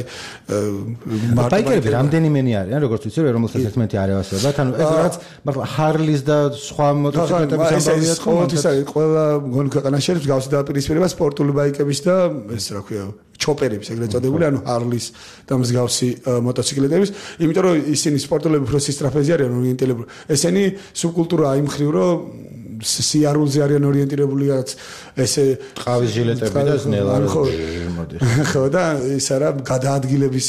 ბაიკერები რამდენიმენი არიან როგორც ვიცი რომ რომელსაც ერთმანეთი არ ევასებათ ანუ ეს რაღაც მართლა ჰარლის და სხვა მოტოციკლების ამბავია ყოველთვის არის ყველა მგონი ქვეყანაში არის გავსი დაპირისპირება სპორტული ბაიკების და ეს რა ქვია ჩოპერების ეგრეთ წოდებული ანუ ჰარლის და მსგავსი მოტოციკლეტების იმიტომ რომ ისინი სპორტულები უფრო სისტრაფეზე არიან ორიენტირებული ესენი სუბკულტურა იმ ხრივ რომ სიარულზე არიან ორიენტირებული რაც ესე ყავის ჟილეტები და ზნელარი მოდი ხო და ეს არა გადაადგილების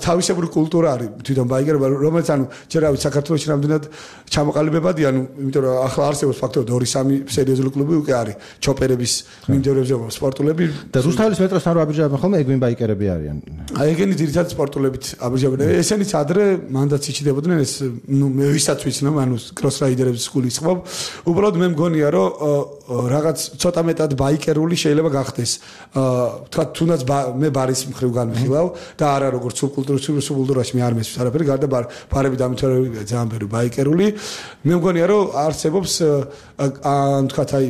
თავისებური კულტურა არის თვითონ ბაიკერობა რომელიც ანუ ჯერ ავი საქართველოში რამდენად ჩამოყალიბებადია ანუ იმიტომ რომ ახლა არსებობს ფაქტორად ორი სამი სერიოზული კლუბი უკვე არის ჩოპერების მიმდევრებზე სპორტულები და რუსთავის მეტროსთან რო აბიჯავებენ ხოლმე ეგ ვინ ბაიკერები არიან აი ეგენი ძირითადად სპორტულებით აბიჯავებენ ესენიც ადრე მანდაც იჩიდებოდნენ ეს ნუ მე ვისაც ვიცნობ ანუ კროს რაიდერების სკულის ხმობ უბრალოდ მე მგონია რომ რაღაც ცოტა მეტად ბაიკერული შეიძლება გახდეს თქვა თუნდაც მე ბარის მხრივ განვიხილავ და არა როგორც სუბკულტურის სუბკულტურაში მე არ მესმის არაფერი გარდა ბარები დამთავრებია ძალიან ბევრი ბაიკერული მე მგონია რომ არსებობს ან თქვა აი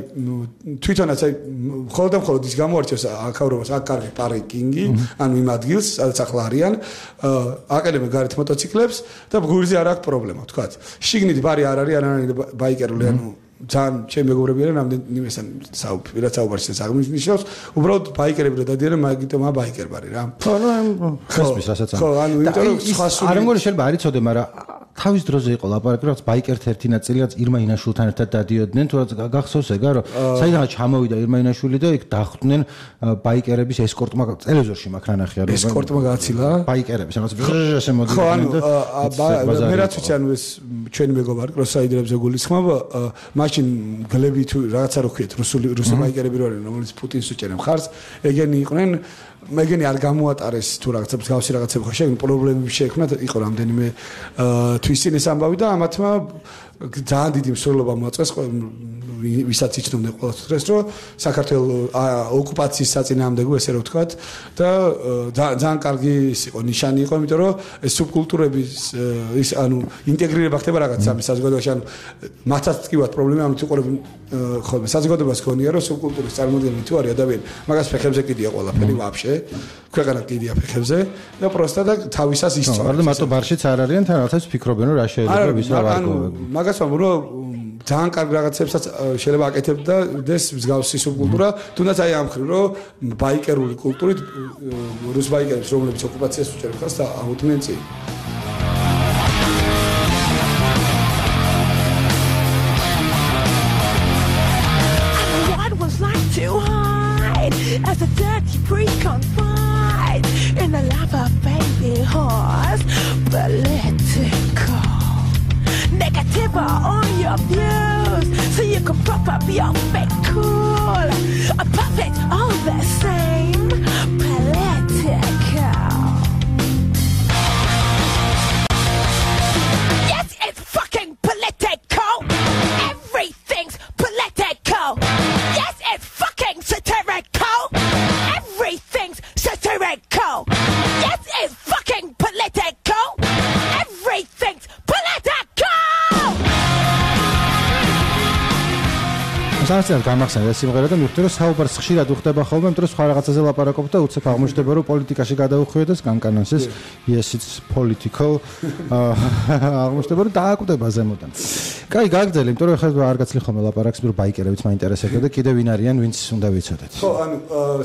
თვითონაც აი მხოლოდ და მხოლოდ ის გამოარჩევს აქაურობას აქ კარგი პარკინგი ანუ იმ ადგილს სადაც ახლა არიან აკადემია გარეთ მოტოციკლებს და ბგურიზე არ აქვს პრობლემა თქვა შიგნით ბარი არ არის არანაირი ბაიკერული ანუ ძალიან ჩემი მეგობრები არიან რამდენი ესან საუბარ საუბარში საგმინიშნავს უბრალოდ ბაიკერები რა დადიან მაგიტომ ა ბაიკერბარი რა ხო ნუ ხესმის რასაც ხო ანუ იმიტომ რომ სხვა სული არ მგონი შეიძლება არ იცოდე მაგრამ თავის დროზე იყო ლაპარაკი რაც ბაიკერთა ერთი ნაწილიც ირმა ინაშვილთან ერთად დადიოდნენ თუ რაც გახსოვს ეგა რომ საიდანაც ჩამოვიდა ირმა ინაშვილი და იქ დახვდნენ ბაიკერების ესკორტმა ტელევიზორში მაგ რანახია რომ ესკორტმა გააცილა ბაიკერების რაღაც ჟჟჟ მოდიდნენ და მე რაც ვიცი ანუ ეს ჩვენი მეგობარი კროსაიდერებზე გულისხმობ მაშინ გლები თუ რაღაცა რო ხვიეთ რუსული რუსი ბაიკერები რო არიან რომელიც პუტინს უჭერენ მხარს ეგენი იყვნენ მეგენი არ გამოატარეს თუ რაღაცა მსგავსი რაღაცები ხო შეექმნა პრობლემები შეექმნა იყო რამდენიმე თვისინ ეს ამბავი და ამათმა ძალიან დიდი მსვლელობა მოაწეს ვისაც იცნობდნენ ყველა დღეს რომ საქართველოს ოკუპაციის საწინააღმდეგო ესე რომ ვთქვათ და ძალიან კარგი ის იყო ნიშანი იყო იმიტომ რომ ეს სუბკულტურების ის ანუ ინტეგრირება ხდება რაღაც სამი საზოგადოებაში ანუ მათაც თქვათ პრობლემა ამით უყურებენ ხოლმე საზოგადოებას ქონია რომ სუბკულტურის წარმოდგენილი თუ არის ადამიანი მაგას ფეხებზე კიდია ყველაფერი ვაფშე ქვეყანა კიდია ფეხებზე და პროსტა და თავისას ისწავლა არა მარტო ბარშიც არ არიან თან რაღაცას ფიქრობენ რომ რა შეიძლება ვის რა ვარგო მაგას ვამბობ რომ ძალიან კარგ რაღაცებსაც შეიძლება აკეთებდა დეს მსგავსი სუბკულტურა თუნდაც აი ამ ხრივ რომ ბაიკერული კულტურით რუს ბაიკერებს რომლებიც ოკუპაციას უჭერენ ხას და აუდგნენ წინ as a dirty priest confined in the love of baby horse political negative on your views so you can prop up your fake cool a puppet all the same political yes it's fucking political everything's political yes it's fucking satirical everything's satirical yes it's fucking political everything's political სანაცვლოდ გამახსენდა სიმღერა და მივხვდი რომ საუბარს ხშირად უხდება ხოლმე, იმიტომ რომ სხვა რაღაცაზე ლაპარაკობ და უცებ აღმოჩნდება რომ პოლიტიკაში გადაუხვიოდეს კანკანანსის yes it's political აღმოჩნდება რომ დააკვდება ზემოდან. კაი, გაგრძელი, იმიტომ რომ ხა არ გაცლი ხოლმე ლაპარაკს, რომ ბაიკერებიც მაინტერესებდა და კიდე ვინ არიან, ვინც უნდა ვიცოდეთ. ხო, ანუ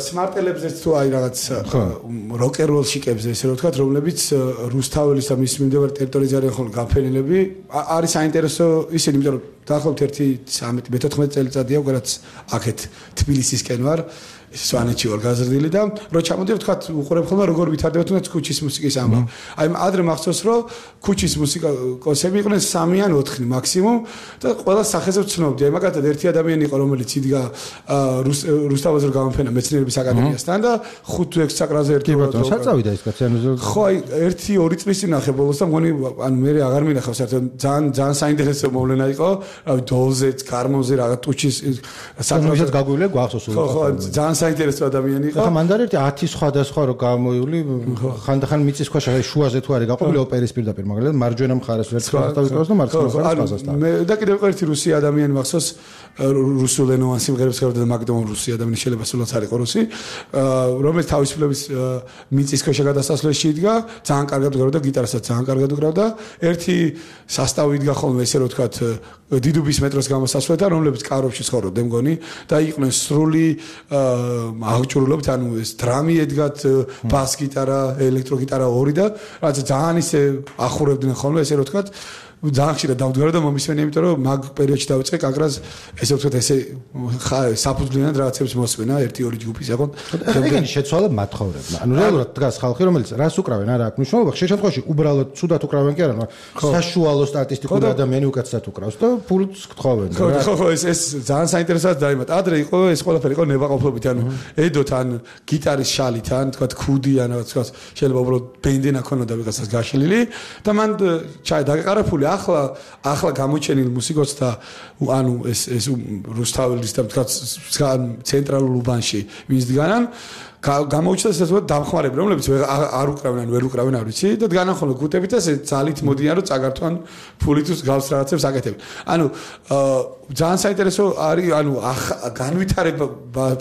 სმარტელებზეც თუ აი რაღაც როკეროლ შიკებზე ესე რომ ვთქვათ, რომლებიც რუსთაველის და მის მიმდებარე ტერიტორიაზე არიან ხოლმე გაფენილები, არის საინტერესო ისინი, იმიტომ რომ დაახლოებით ერთი ცხრამეტი მეთოთხმეტი წელიწადია ვგარაც აქეთ თბილისისკენ ვარ სვანეთში ვარ გაზრდილი და რო ჩამოდიო ვთქვათ უყურებ ხოლმე როგორ ვითარდება თუნდაც ქუჩის მუსიკის ამბავი. აი ადრე მახსოვს რომ ქუჩის მუსიკა კონსერვები იყვნენ სამი ან ოთხი მაქსიმუმ და ყველა სახეზე ვცნობდი. აი მაგათად ერთი ადამიანი იყო რომელიც იდგა რუსთავაზე რომ გამოფენა მეცნიერების აკადემიასთან და ხუთ ექვსი საკრაზე ერთი ბატონო საწავიდა ის კაცი ანუ ხო აი ერთი ორი წლის წინ ნახე ბოლოს და მგონი ანუ მე აღარ მინახავ საერთოდ ძალიან ძალიან საინტერესო მოვლენა იყო რავი დოლზე გარმონზე რაღაც ტუჩის საკრასაც გაგვივლე გვახსოვს ხო ხო ძალიან საინტერესო ადამიანი იყო. ხა მანდ ერთი ათი სხვადასხვა რო გამოიული ხანდახან მიწის ქვეშ შუაზე თუ არის გაყვებული ოპერის პირდაპირ მაგალითად მარჯვენა მხარეს ვერც დავიკრავს და მარცხენა მხარეს ფაზასთან. მე და კიდევ ერთი რუსი ადამიანი მახსოვს რუსულენოვან სიმღერებს ხერხდა და მაგდომ რუსი ადამიანი შეიძლება სულაც არ იყო რუსი რომელიც თავისუფლების მიწის ქვეშ გადასასვლელში იდგა ძალიან კარგად უგრავდა გიტარასაც ძალიან კარგად უგრავდა ერთი სასტავი იდგა ხოლმე ესე რომ ვთქვათ დიდუბის მეტროს გამოსასვლელთან რომლებიც კაროვში ცხოვრობდნენ მგონი და იყვნენ სრული აღჭურვილობით ანუ ეს დრამი ედგათ ბას გიტარა ელექტრო გიტარა ორი და რაც ძალიან ისე ახურებდნენ ხოლმე ესე რომ ვთქვათ ძალიან ხშირად დავდგარა და მომისმენი იმიტომ რომ მაგ პერიოდში დავიწყე კაკრას ესე ვთქვათ ესე საფუძვლიანად რაღაცებს მოსვენა ერთი ორი ჯგუფის აკონ ეგენი შეცვალა მათხოვრებმა ანუ რეალურად დგას ხალხი რომელიც რას უკრავენ არა აქვს მნიშვნელობა ხშირ შემთხვევაში უბრალოდ ცუდად უკრავენ კი არა მაგრამ საშუალო სტატისტიკური ადამიანი უკაცრად უკრავს და ფულს გთხოვენ ხო ხო ხო ეს ეს ძალიან საინტერესოა დაიმატა ადრე იყო ეს ყველაფერი იყო ნებაყოფლობით ანუ ედოთ ან გიტარის შალით ან თქვათ ქუდი ან რაღაც თქვათ შეიძლება უბრალოდ ბენდენა ქონოდა ვიღაცას გაშლილი და მან ჩაი დაგეყარაფული ახლა ახლა გამოჩენილ მუსიკოსთა ანუ ეს ეს რუსთაველის და თქვათ ცენტრალურ უბანში ვინც დგანან გამოუჩნდა ესეც დამხმარები, რომლებიც არ უკრავენ, ვერ უკრავენ, არ ვიცი და განახონო გუტებით და ძალით მოდიან რომ წაგართვან ფული თუ გავს რაღაცებს აკეთებენ. ანუ ძალიან საინტერესო არის, ანუ განვითარება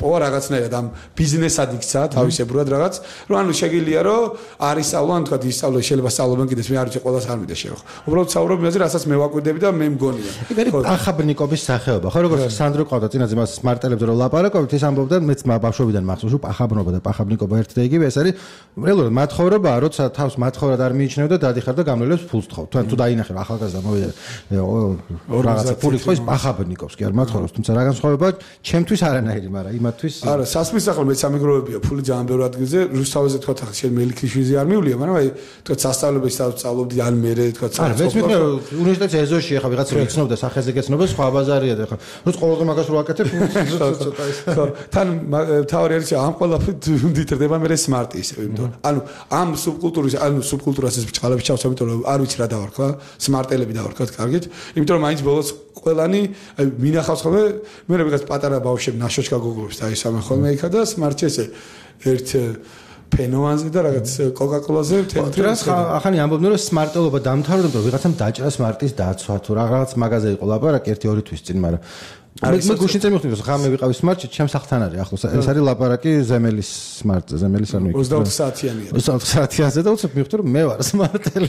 პოვა რაღაცნაირად ამ ბიზნესად იქცა თავისებურად რაღაც, რომ ანუ შეგიძლია რომ არის სწავლან, თქვა ისწავლე შეიძლება სწავლობენ კიდეც მე არ ვიცი ყველას არ მიდე შევხო. უბრალოდ საუბრობ იმაზე, რასაც მე ვაკვირდები და მე მგონია. იქ არის პახაბრნიკობის სახეობა. ხო როგორც სანდრო ყავდა წინაზე მას სმარტელებს რომ ლაპარაკობთ, ის ამბობდა მეც ბავშვობიდან მახსოვს რომ პახაბრნობა და პახაბრნიკობა ერთ და იგივე ეს არის რეალურად მათხოვრებაა, როცა თავს მათხოვრად არ მიიჩნევ და დადიხარ და გამრავლებს ფულს თხოვ. თუ თუ დაინახე ახალგაზრდა მოვიდა რაღაცა ფული თხოვის პახაბრნიკობს კი არ მათხოვრობს, თუმცა რა განსხვავებაა ჩემთვის არანაირი, მაგრამ იმათთვის არა, სასმის ახლა მეც სამეგროვებია ფული ძალიან ბევრ ადგილზე, რუსთავაზე თქვა ახლა შენ მელიქრიშვილი არ მივლია, მაგრამ აი თქვა სასწავლებელს სწავლობდი ან მე თქვა არა, მეც მიხნე უნივერსიტეტის ეზოში ახლა ვიღაცა იცნობდა სახეზე გეცნობა, სხვა ბაზარია და ახლა როც ყოველდღე მაგას რო აკეთებ, ცოტა ის. ხო, თან თავი არის ამ ყველაფრით ვითარდება მე სმარტი ისე, იმიტომ ანუ ამ სუბკულტურის, ანუ სუბკულტურას ეს ბჭყალები ჩავს, იმიტომ რომ არ ვიცი რა დავარქვა, სმარტელები დავარქვა კარგით, იმიტომ რომ მაინც ბოლოს ყველანი მინახავს ხოლმე, მე რაღაც პატარა ბავშვები ნაშოჩკა გოგოებს დაისამენ ხოლმე იქა და სმარტში ესე ერთ ფენოანზე და რაღაც კოკაკოლაზე თეთრას ახანი ამბობდნენ რომ სმარტელობა დამთავრდა, რომ ვიღაცამ დაჭრა სმარტის დაცვა თუ რაღაც მაგაზე იყო ლაპარაკი ერთი ორი თვის წინ, მაგრამ მე მე გუშინ წამივხვდი რომ ხა მე ვიყავი სმარტში, ჩემს ახთან არის ახლოს. ეს არის ლაპარაკი ზემელის სმარტზე, ზემელის არ მეკითხა. ოცდაოთხ საათიანია. ოცდაოთხ საათიანზე და უცებ მივხვდი რომ მე ვარ სმარტელი.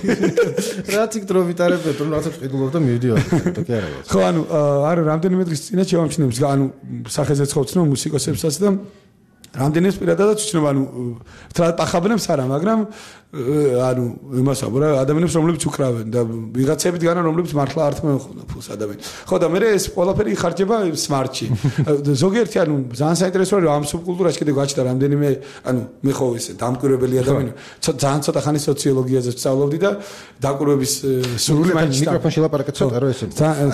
რაც იქ დრო ვიტარებდეთ, რომ რაღაცა ყიდულობ და მივდივარ და კი არა. ხო, ანუ არა რამდენიმე დღის წინათ შევამჩნევს, ანუ სახეზე ცხოცნო მუსიკოსებსაც და რამდენიმე პირადადაც ვჩნევ, ანუ თრა პახაბრებს არა, მაგრამ ანუ იმას ამბობ, ადამიანებს რომლებიც უკრავენ და ვიღაცებით განა რომლებიც მართლა არ თმევენ ფულს ადამიანს. ხო და მე ეს ყველაფერი იხარჯება სმარტში. ზოგიერთი ანუ ძალიან საინტერესოა რომ ამ სუბკულტურაში კიდე გაჩნდა რამდენიმე ანუ მე ხო ესე დამკვირვებელი ადამიანი. ძალიან ცოტა ხანი სოციოლოგიაზე ვსწავლობდი და დაკვირვების სურვილი მაინც მიკროფონში ლაპარაკეთ ცოტა რომ ესე.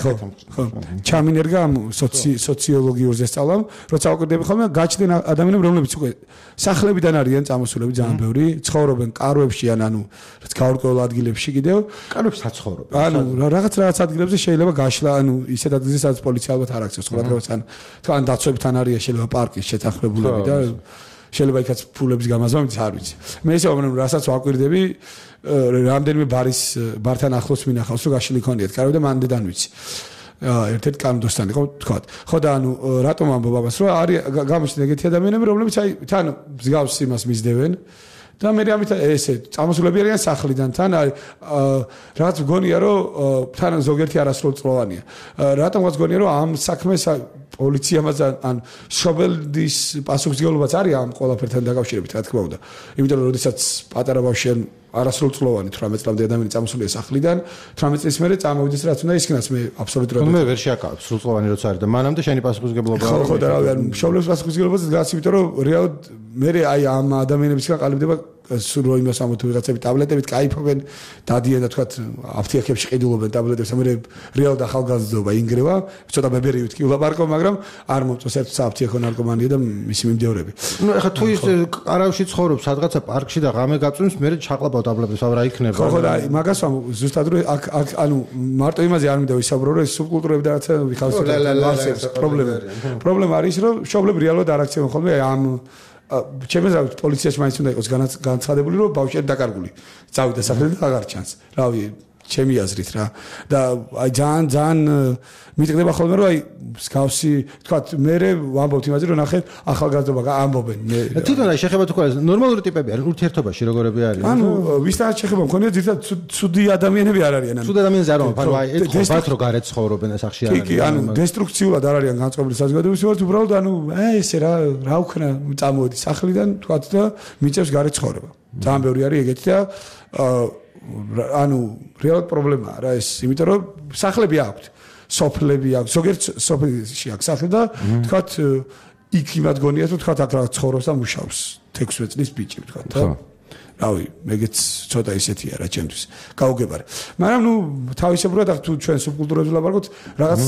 ხო, ხო. ჩამინერგა ამ სოციოლოგიურზე სწავლამ, როცა ვაკვირდები ხოლმე გაჩნდნენ ადამიანები რომლებიც უკვე სახლებიდან არიან წამოსულები ძალიან ბევრი, ცხოვრობენ კარვებში ან ანუ რაც გაურკვეველ ადგილებში კიდევ კარვებში საცხოვრობენ. ანუ რაღაც რაღაც ადგილებზე შეიძლება გაშლა, ანუ ისეთ ადგილზე სადაც პოლიცია ალბათ არ აქცევს, სხვა დღეს ან თან დაცვებთან არის შეიძლება პარკის შეთანხმებულები და შეიძლება იქაც ფულების გამაზრდა, მით არ ვიცი. მე ესე ვამბობ, რასაც ვაკვირდები, რამდენიმე ბარის ბართან ახლოს მინახავს, რომ გაშლილი ქონიათ კარვი და მანდედან ვიცი. ერთ-ერთ კანდოსთან იყო თქვა. ხო და ანუ რატომ ამბობ ამას, რომ არის გამოჩნდა ეგეთი ადამიანები, რომლებიც აი თან მსგავს იმას მისდევენ და მე ამით ესე წამოსულები არიან სახლიდან თან რაღაც მგონია რომ თან ზოგიერთი არასრულწლოვანია. რატომღაც მგონია რომ ამ საქმეს პოლიციამაც ან შობელდის პასუხისმგებლობაც არის ამ ყველაფერთან დაკავშირებით, რა თქმა უნდა. იმიტომ რომ როდესაც პატარა ბავშვი არასრულწლოვანი თვრამეტ წლამდე ადამიანი წამოსულია სახლიდან, თვრამეტ წლის მერე წამოვიდეს რაც უნდა ისქნას მე აბსოლუტურად მე ვერ შეაკავებ სრულწლოვანი როცა არის და მანამდე შენი პასუხისმგებლობა ხო ხო და რავი ან შობლების პასუხისმგებლობაზე დგას, იმიტომ რომ რეალურად მე აი ამ ადამიანებისგან ყალიბდება სულ რო იმას ამბობ თუ ვიღაცები ტაბლეტებით кайფობენ, დადიან და თქვა აფთიაქებში ყიდულობენ ტაბლეტებს, მე რეალურად ახალგაზრდობა ინგრევა, ცოტა ბებერი ვთქი ულაპარაკო, მაგრამ არ მომწონს ერთ საფთიაქო ნარკომანია და მისი მიმდევრები. ნუ ეხლა თუ ის არავში ცხოვრობს სადღაცა პარკში და ღამე გაწვიმს, მე ჩაყლაპავ ტაბლეტებს, რა იქნება? ხო ხო და მაგას ვამბობ, ზუსტად რომ აქ აქ ანუ მარტო იმაზე არ მინდა ვისაუბრო, რომ ეს სუბკულტურები და რაღაცა ვიხავს პრობლემა. პრობლემა არის რომ შობლები რეალურად არ აქცევენ ხოლმე ამ ჩემს რა პოლიციაში მაინც უნდა იყოს განცხადებული რომ ბავშვი დაკარგული წავიდა სახლიდან და აღარ ჩანს. რავი, ჩემი აზრით რა. და აი ძალიან ძალიან მიტყდება ხოლმე რომ აი მსგავსი თქვა მე ვამბობთ იმაზე რომ ნახეთ ახალგაზრდობა ამბობენ მე. თვითონ აი შეხება თუ ყველა ნორმალური ტიპები არის ურთიერთობაში როგორები არიან? ანუ ვისთან შეხება მქონია ზირთად ცუდი ადამიანები არ არიან. ცუდი ადამიანები არ არის, ანუ აი ეთქობათ რომ გარეთ ცხოვრობენ სახში არ არის. კი, ანუ დესტრუქციულად არ არიან განწყობილი საზოგადოებრივი ვართ, უბრალოდ ანუ აი ესე რა რა უქნა წამოდი სახლიდან თქვა და მიწევს გარეთ ცხოვრება. ძალიან ბევრი არის ეგეთი და ანუ რეალურად პრობლემაა რა ეს, იმიტომ რომ სახლები აქვთ, სოფლები აქვს, ზოგიერთ სოფელში აქვს სახლი და თქვათ იქ იმად გონიათ რომ თქვათ აქ რა ცხოვრობს და მუშაობს თექვსმეტ წლის ბიჭი თქვათ და რავი, მეგეც ცოტა ისეთია რა ჩემთვის. გაუგებარი. მაგრამ ნუ თავისებურად აქ თუ ჩვენ სუბკულტურებზე ვლაპარაკობთ, რაღაც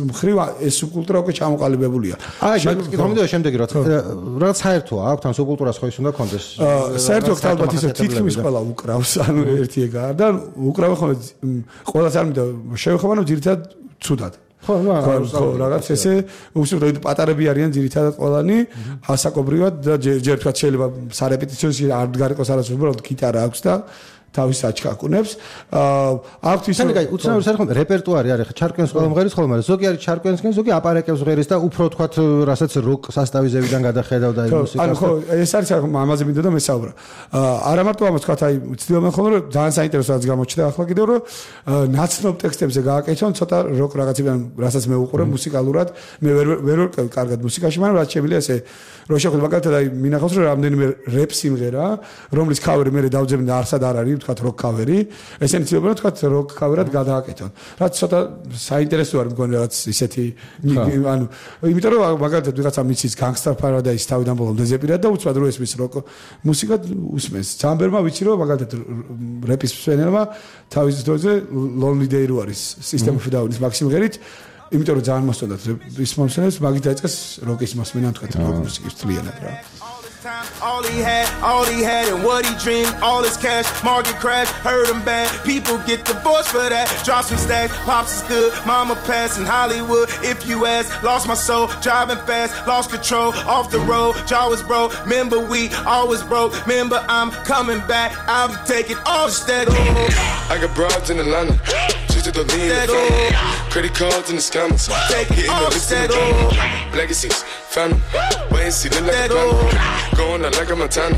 მხრივ ეს სუბკულტურა უკვე ჩამოყალიბებულია. აი, მაგის კომენტია შემდეგი რა რაღაც საერთოა აქვს ამ სუბკულტურას ხო ის უნდა კონდეს. საერთოდ ალბათ ისე თითქმის ყველა უკრავს, ანუ ერთი ეგაა და უკრავენ ხოლმე ყველას არ მინდა შევეხება, რომ ძირითადად ცუდად. ხო, ხო, რაღაც ესე უბრალოდ პატარები არიან ძირითადად ყველანი, ასაკობრივად და ჯერ თქვა შეიძლება სარეპეტიციოში არ გარიყოს არასდროს უბრალოდ გიტარა აქვს და თავის აჩქაკუნებს. აქვთ ის ანუ უცნაური საერთოდ რეპერტუარი არის, ხა ჩარკვიანს ყველა მღერის ხოლმე, მაგრამ ზოგი არის ჩარკვიანსკენ, ზოგი აპარაკებს მღერის და უფრო თქვათ, რასაც როკ სასტავიზებიდან გადახედავდა იმ მუსიკას. ანუ ხო, ეს არის ამაზე მინდოდა მესაუბრა. არა მარტო ამას თქვათ, აი ვცდილობენ ხოლმე რომ ძალიან საინტერესო რაც გამოჩნდა ახლა კიდევ რომ ნაცნობ ტექსტებზე გააკეთონ ცოტა როკ რაღაცებიდან, რასაც მე უყურებ მუსიკალურად, მე ვერ ვერ ვარ კარგად მუსიკაში, მაგრამ რაც შემიძლია ესე რო შეხვდები მაგალითად აი მინახავს რომ რამდენიმე რეპ სიმღერა, რომლის ქავერი მე დავძებნი და არსად არ არის თქვათ როკ ქავერი, ესენი ცდილობენ თქვათ როკ ქავერად გადააკეთონ. რაც ცოტა საინტერესო არის მგონი რაღაც ისეთი ანუ იმიტომ რომ მაგალითად ვიღაცა მიცის Gangsta Paradise თავიდან ბოლომდე ზეპირად და უცბად რო ესმის როკ მუსიკა უსმენს. ძამბერმა ვიცი რომ მაგალითად რეპის მსმენელმა თავის დროზე Lonely Day რო არის System of a Down-ის მაქსიმღერით იმიტომ რომ ძალიან მოსწონდათ ის მომსმენელს მაგით დაიწყეს როკის მოსმენა თქვათ როკ მუსიკის თლიანად რა. All he had, all he had, and what he dreamed, all his cash, market crash, hurt him bad. People get divorced for that. Drop some stacks, pops is good, mama passed in Hollywood. If you ask, lost my soul, driving fast, lost control, off the road, jaw was broke. Remember we always broke. Remember I'm coming back, I'm taking all the stack. I got broads in Atlanta, just to the lean in the family. Credit cards in the scammers, hitting the list in the drama. Legacies, family, wait and see, look like a banner. Going out like a Montana,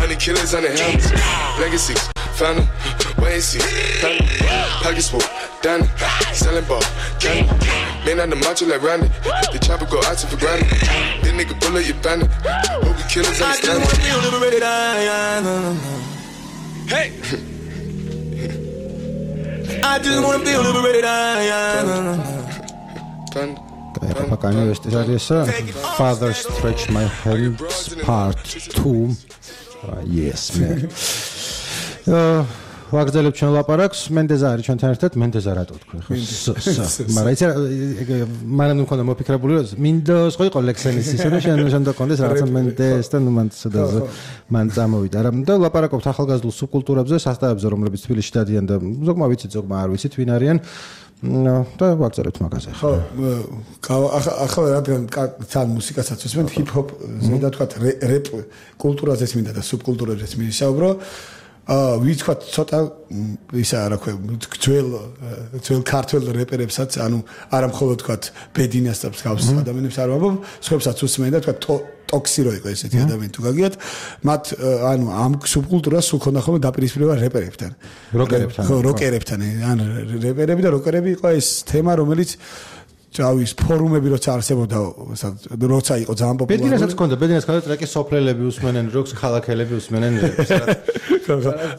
honey killers on the helmets. Legacies, family, wait and see, family. Pockets full, Danny, selling ball, candy. Man on the macho like Randy, the chopper go out to for granted. This nigga bullet your bandit, hope the killers understand. I just wanna feel liberated. Hey! I just wanna feel liberated. Panda. ეხლა კანი ვესტის არის Father Stretch My Hands Part two. Yes, man. ვაგრძელებ ჩვენ ლაპარაკს, მენდეზა არის ჩვენთან ერთად, მენდეზა რატო თქვი ხო? მაგრამ იცი მანამ მქონდა მოფიქრებული რომ მინდა სხვა იყო ლექსენის ისე რომ შენ შენ დაკონდეს რაღაცა მენდეს და ნუ მან სადაზე მან წამოვიდა. რა და ლაპარაკობთ ახალგაზრდულ სუბკულტურებზე, სასტავებზე, რომლებიც თბილისში დადიან და ზოგმა ვიცით, ზოგმა არ ვიცით ვინ არიან. No, და ვაგზავნებთ მაგაზე. ხო, ახლა რადგან თან მუსიკასაც ვისმენთ, ჰიპ-ჰოპ ზედა თქვათ რეპ კულტურაზეც მინდა და სუბკულტურაზეც მინისაუბრო. აა ვიცქვათ ცოტა ისა რა ქვია ძველ ძველ ქართულ რეპერებსაც ანუ არა მხოლოდ თქვათ ბედინას და მსგავს ადამიანებს არ ვამბობ, სხვებსაც უსმენ და თქვათ ტოქსი რო იყო ესეთი ადამიანი თუ გაგიათ, მათ ანუ ამ სუბკულტურას სულ ქონდა ხოლმე დაპირისპირება რეპერებთან. როკერებთან. ხო, როკერებთან. ანუ რეპერები და როკერები იყო ეს თემა, რომელიც ჭავის ფორუმები როცა არსებობდა, როცა იყო ძალიან პოპულარული. ბედინასაც ქონდა, ბედინას ქონდა ტრეკის სოფლელები უსმენენ, როკს ქალაქელები უსმენენ რეპს.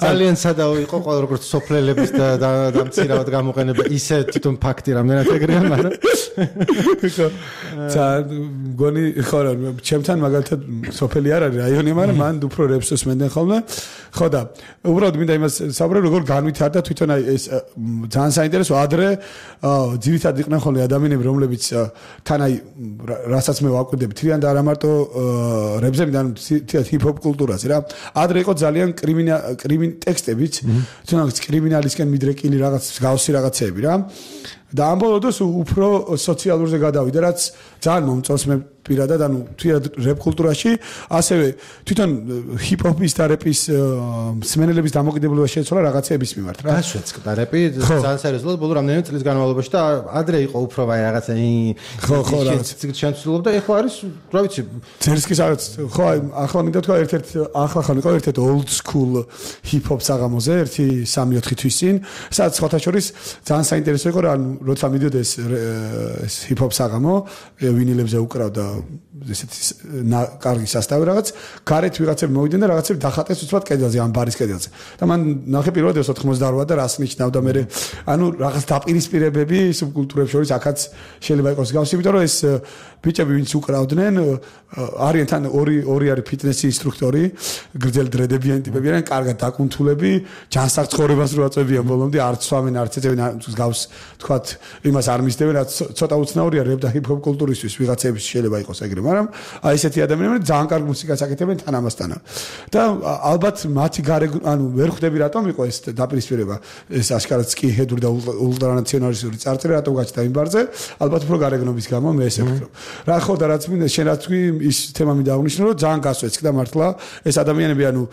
ძალიან სადაო იყო ყველა როგორც სოფლელების და დამცირავად გამოყენება, ისე თვითონ ფაქტი რამდენად ეგრეა, მაგრამ ცა გონი ხო რა, ჩემთან მაგალითად სოფელი არ არის რაიონი, მაგრამ მან უფრო რეპს უსმენდნენ ხოლმე. ხო და უბრალოდ მინდა იმას საუბრობ, როგორ განვითარდა თვითონ აი ეს ძალიან საინტერესო ადრე ძირითადად იყვნენ ხოლმე ადამიანები რომლებიც თან აი რასაც მე ვაკვირდები თვითონ და არა მარტო რეპზე მიდან თვითონ ჰიპ-ჰოპ კულტურაზე რა ადრე იყო ძალიან კრიმინა კრიმინ ტექსტებიც თუნდაც კრიმინალისკენ მიდრეკილი რაღაც გავსი რაღაცეები რა და ამ ბოლოდოს უფრო სოციალურზე გადავიდა რაც ძალიან მომწონს მე პირადად ანუ თვითონ რეპ კულტურაში ასევე თვითონ ჰიპ-ჰოპის და რეპის მსმენელების დამოკიდებულება შეცვალა რაღაცეების მიმართ რა გასვეწყდა რეპი ძალიან სერიოზულად ბოლო რამდენიმე წლის განმავლობაში და ადრე იყო უფრო ვაი რაღაცა ხო ხო რა შეცვლობდა ეხლა არის რა ვიცი ცერსკის რაღაც ხო აი ახლა მინდა თქვა ერთ-ერთ ახლა ხან იყო ერთ-ერთ old school hip-hop საღამოზე ერთი სამი ოთხი თვის წინ სადაც სხვათა შორის ძალიან საინტერესო იყო რა როცა მიდიოდა ეს ეს hip-hop საღამო ვინილებზე უკრავდა ესეთი კარგი სასტავი რაღაც გარეთ ვიღაცები მოვიდნენ და რაღაცები დახატეს უცბად კედელზე ამ ბარის კედელზე და მან ნახე პირველად ეს ოთხმოცდაოთხ და რას ნიშნავდა მე ანუ რაღაც დაპირისპირებები სუბკულტურებს შორის აქაც შეიძლება იყოს გავს იმიტომ რომ ეს ბიჭები ვინც უკრავდნენ არიან თან ორი ორი არის ფიტნესი ინსტრუქტორი გრძელი დრედებიანი ტიპები არიან კარგად დაკუნთულები ჯანსაღ ცხოვრებას რო აწევიან ბოლომდე არც სვამენ არც ეწევენ გავს თქვათ იმას არ მისდევენ, რაც ცოტა უცნაურია რეპ და ჰიპ-ჰოპ კულტურისთვის ვიღაცების შეიძლება იყოს ეგრე, მაგრამ აი ესეთი ადამიანები ძალიან კარგ მუსიკას აკეთებენ თან ამასთან. და ალბათ მათი გარე ანუ ვერ ხვდები რატომ იყო ეს დაპირისპირება, ეს აშკარად სკინჰედური და ულტრანაციონალისტური წარწერა რატომ გაჩნდა იმ ბარზე, ალბათ უფრო გარეგნობის გამო მე ესე ვფიქრობ. რა ხო და რაც მინდა შენ რაც თქვი ის თემა მინდა აღნიშნო, რომ ძალიან გასვეცკდა მართლა ეს ადამიანები ანუ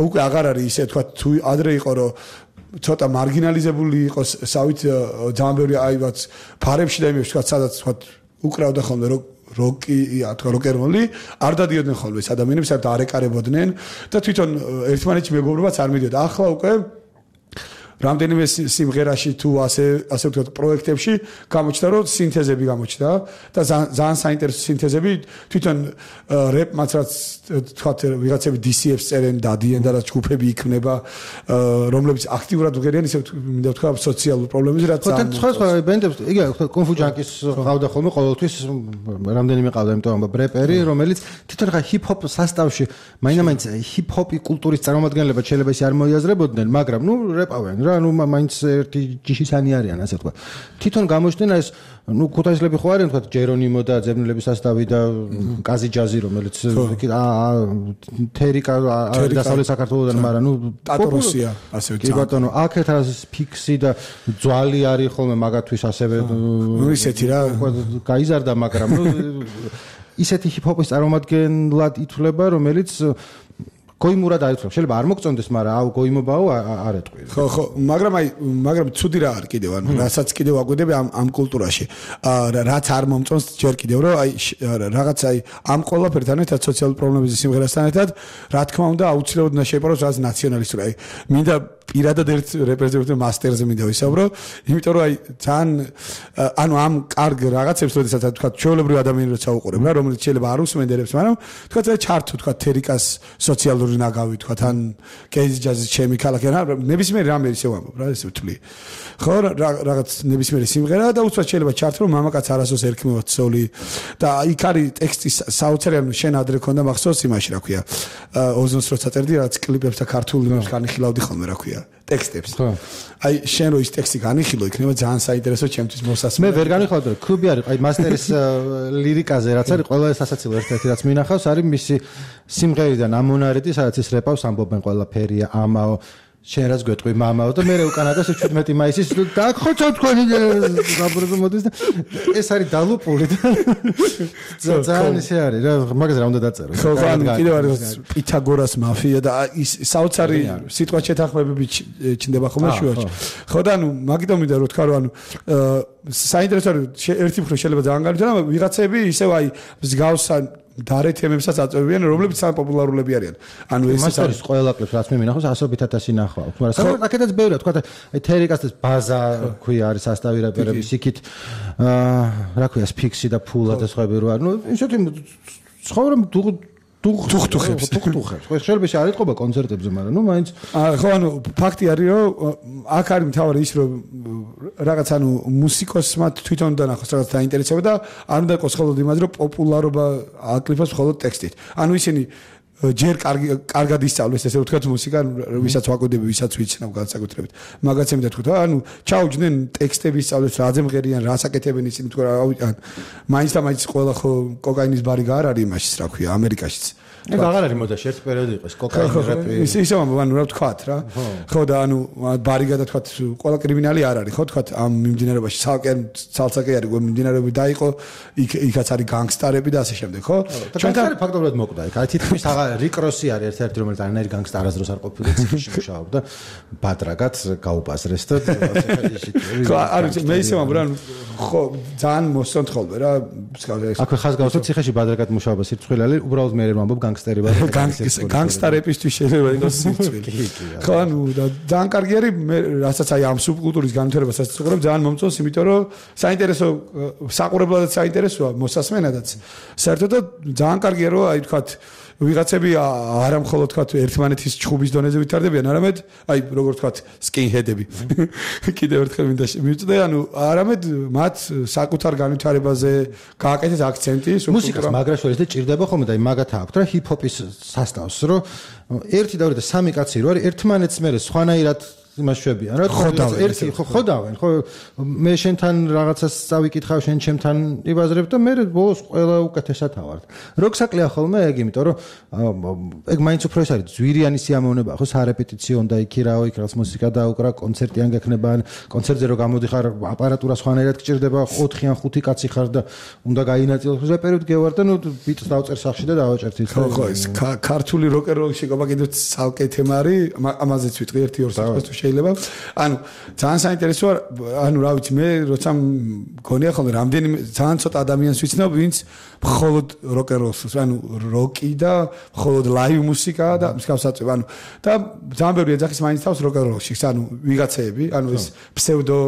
უკვე აღარ არის ისე თქვა თუ ადრე იყო რომ ცოტა მარგინალიზებული იყოს სავით ძალიან ბევრი აივაც ფარებში და იმებში თქვა სადაც თქვა უკრავდა ხოლმე რომ როკი თქვა როკერმოლი არ დადიოდნენ ხოლმე ეს ადამიანები საერთოდ არ ეკარებოდნენ და თვითონ ერთმანეთში მეგობრობაც არ მიდიოდა ახლა უკვე რამდენიმე სიმღერაში თუ ასე ასე ვთქვათ პროექტებში გამოჩნდა რომ სინთეზები გამოჩნდა და ძალიან საინტერესო სინთეზები თვითონ რეპმაც რაც ვთქვათ ვიღაცები დი სი ეფს წერენ დადიან და რაც ჯგუფები იქმნება რომლებიც აქტიურად ვღერიან ისე მინდა ვთქვა სოციალურ პრობლემებზე რაც ძალიან ხო ხო ბენდებს იგი კონფუ ჯანკის ყავდა ხოლმე ყოველთვის რამდენიმე ყავდა იმიტომ რომ ბრეპერი რომელიც თვითონ ხა ჰიპ-ჰოპ სასტავში მაინც ჰიპ-ჰოპი კულტურის წარმომადგენლება შეიძლება ისე არ მოიაზრებოდნენ მაგრამ ნუ რეპავენ რა ნუ მაინც ერთი ჯიშისანი არიან ასე თქვა თვითონ გამოჩნდნენ ეს ნუ ქუთაისლები ხო არიან თქვა ჯერონიმო და ძებნელების სასტავი და კაზი ჯაზი რომელიც თერიკა დასავლეთ საქართველოსთან მაგრამ ნუ ტატოროსია ასე ვთქვი კი ბატონო აქეთ არის ფიქსი და ძვალი არის ხოლმე მაგათვის ასევე ნუ ისეთი რა გაიზარდა მაგრამ ნუ ისეთი ჰიპ-ჰოპის წარმომადგენლად ითვლება რომელიც გოიმურად აიწევს. შეიძლება არ მოგწონდეს, მაგრამ აუ გოიმობაო არ ეტყვი. ხო, ხო, მაგრამ აი, მაგრამ ცუდი რა არის კიდევ, ანუ რასაც კიდევ აგვიდები ამ ამ კულტურაში. აა რაც არ მომწონს ჯერ კიდევ, რომ აი რაღაც აი ამ ყველაფერთან ერთად სოციალური პრობლემების სიმღერასთან ერთად, რა თქმა უნდა, აუცილებლად უნდა შეიპაროს რაღაც ნაციონალისტური. აი, მინდა პირადად ერთ რეპრეზენტატიულ მასტერზე მინდა ვისაუბრო, იმიტომ რომ აი ძალიან ანუ ამ კარგ რაღაცებს, როდესაც თქვა ჩვეულებრივი ადამიანი როცა უყურებ რა, რომელიც შეიძლება არ უსმენდერებს, მაგრამ თქვა ჩართო თქვა თერიკას სოციალური ნაგავი თქვა თან კეიზ ჯაზის ჩემი ქალაქი რა ნებისმიერ რამე ისე ვამბობ რა ესე ვთვლი ხო რაღაც ნებისმიერი სიმღერა და უცბად შეიძლება ჩართო რომ მამაკაც არასოს ერქმევა ცოლი და იქ არის ტექსტი საოცარი ანუ შენ ადრე ქონდა მახსოვს იმაში რა ქვია ოზონს როცა წერდი რაღაც კლიპებს და ქართული იმებს განიხილავდი ხოლმე რა ქვია ტექსტებს ხო აი შენ რო ის ტექსტი განიხილო იქნება ძალიან საინტერესო ჩემთვის მოსასმენად მე ვერ განიხილავდი რომ კლუბი არის აი მასტერის ლირიკაზე რაც არის ყველა სასაცილო ერთ-ერთი რაც მინახავს არის მისი სიმღერიდან ამონარეთი სადაც ის რეპავს ამბობენ ყველაფერია ამაო შენ რაც გვეტყვი მამაო და მე უკანადას შვიდმეტი მაისის დაგხოცო თქვენი გაბრუნებო მოდის და ეს არის დალუპული და ძალიან ისე არის რა მაგაზე რა უნდა დაწერო ხო ხო კიდევ არის პითაგორას მაფია და ის საოცარი სიტყვა შეთანხმებები ჩნდება ხოლმე შუაში ხო და ანუ მაგიტომ მინდა რომ თქვა რომ ანუ საინტერესო არის ერთი მხრივ შეიძლება ძალიან განვითარა ვიღაცები ისევ აი მსგავსან დარე თემებსაც აწევებიან, რომლებიც ძალიან პოპულარულები არიან. ანუ ეს არის ყველა კლიპს რაც მე მინახავს ასობით ათასი ნახვა. მაგრამ საერთოდ აქედაც ბევრია, თქვა აი თერიკასთან ბაზა ქვია არის სასტავი რეპერების იქით აა რა ქვია ფიქსი და ფულა და სხვაები რო არის. ნუ ისეთი ცხოვრობ თუხთუხებს თუხთუხებს. ხო შეიძლება შე არ ეთყობა კონცერტებზე, მაგრამ ნუ მაინც ხო ანუ ფაქტი არის რომ აქ არის მთავარი ის რომ რაღაც ანუ მუსიკოსმა თვითონ დანახოს რაღაც დაინტერესება და არ უნდა იყოს მხოლოდ იმას რომ პოპულარობა აკლიფოს მხოლოდ ტექსტით. ანუ ისინი ჯერ კარგი კარგად ისწავლეს ესე ვთქვათ მუსიკა ვისაც ვაკვირდები ვისაც ვიცნავ განსაკუთრებით მაგაც ემდა თქვა ანუ ჩაუჯდნენ ტექსტები ისწავლეს რაზე მღერიან რას აკეთებენ ისინი თქვა ან მაინც და მაინც ყველა ხო კოკაინის ბარი გარ არის იმაშიც რა ქვია ამერიკაშიც ეგ აღარ არის მოდაში ერთ პერიოდი იყო ეს კოკაინის რეპი ისე ისე ამბობ ანუ რა ვთქვათ რა ხო და ანუ ბარი გადათქვათ ყველა კრიმინალი არ არის ხო თქვათ ამ მიმდინარეობაში სალკენ ცალსაკე არის გო მიმდინარეები დაიყო იქ იქაც არის განგსტარები და ასე შემდეგ ხო ჩვენთან ფაქტობრივად მოკვდა იქ აი თითქმის აღარ რიკროსი არის ერთ-ერთი რომელიც არანაირი განგსტარ არასდროს არ ყოფილა ციხეში მუშაობდა ბადრაგად გაუპასრეს და ხო არის მე ისე ამბობ რა ხო ძალიან მოსწონთ ხოლმე რა აქვე ხაზგასმით ციხეში ბადრაგად მუშაობა სირცხვილელი უბრალოდ მე რომ ამბობ განგსტერი ვარ განგსტარებისთვის შეიძლება იყოს სირცხვილი ხო ანუ ძალიან კარგი არის მე რასაც აი ამ სუბკულტურის განვითარებასაც ვწუხებ ძალიან მომწონს იმიტომ რომ საინტერესო საყურებლადაც საინტერესოა მოსასმენადაც საერთოდ ძალიან კარგია რომ აი თქვათ ვიღაცები არა მხოლოდ თქვათ ერთმანეთის ჩხუბის დონეზე ვითარდებიან, არამედ აი როგორ თქვათ სკინჰედები. კიდევ ერთხელ მინდა მივწდე, ანუ არამედ მათ საკუთარ განვითარებაზე გააკეთეს აქცენტი, მუსიკას მაგრაშორის და ჭირდება ხოლმე და აი მაგათა აქვთ რა ჰიპ-ჰოპის სასტავს, რომ ერთი და ორი და სამი კაცი რო არის ერთმანეთს მე სხვანაირად იმას შვებიან რა ერთი ხო ხვდავენ ხო მე შენთან რაღაცას წავიკითხავ შენ ჩემთან იბაზრებ და მე ბოლოს ყველა უკეთესად ავარ რო გსაკლია ხოლმე ეგ იმიტომ რომ ეგ მაინც უფრო ეს არის ძვირიანი სიამოვნებაა ხო სარეპეტიციო და იქი რაო იქ რაღაც მუსიკა დაუკრა კონცერტი ან გექნება ან კონცერტზე რო გამოდიხარ აპარატურა სხვანაირად გჭირდება ოთხი ან ხუთი კაცი ხარ და უნდა გაინაწილოს რეპერტ გევარ და ნუ ბიტს დავწერ სახში და დავაჭერთ ის ხო ხო ეს ქართული როკეროლში გობა კიდევ ცალკე თემა არის ამაზეც ვიტყვი ერთი ორ საათს თუ შეიძლება ანუ ძალიან საინტერესოა ანუ რა ვიცი მე როცა მგონია ხოლმე რამდენი ძალიან ცოტა ადამიანს ვიცნობ ვინც მხოლოდ როკეროლს ანუ როკი და მხოლოდ ლაივ მუსიკა და მსგავსად ანუ და ძალიან ბევრი ეძახის მაინც თავს როკეროლში ანუ ვიღაცეები ანუ ეს ფსევდო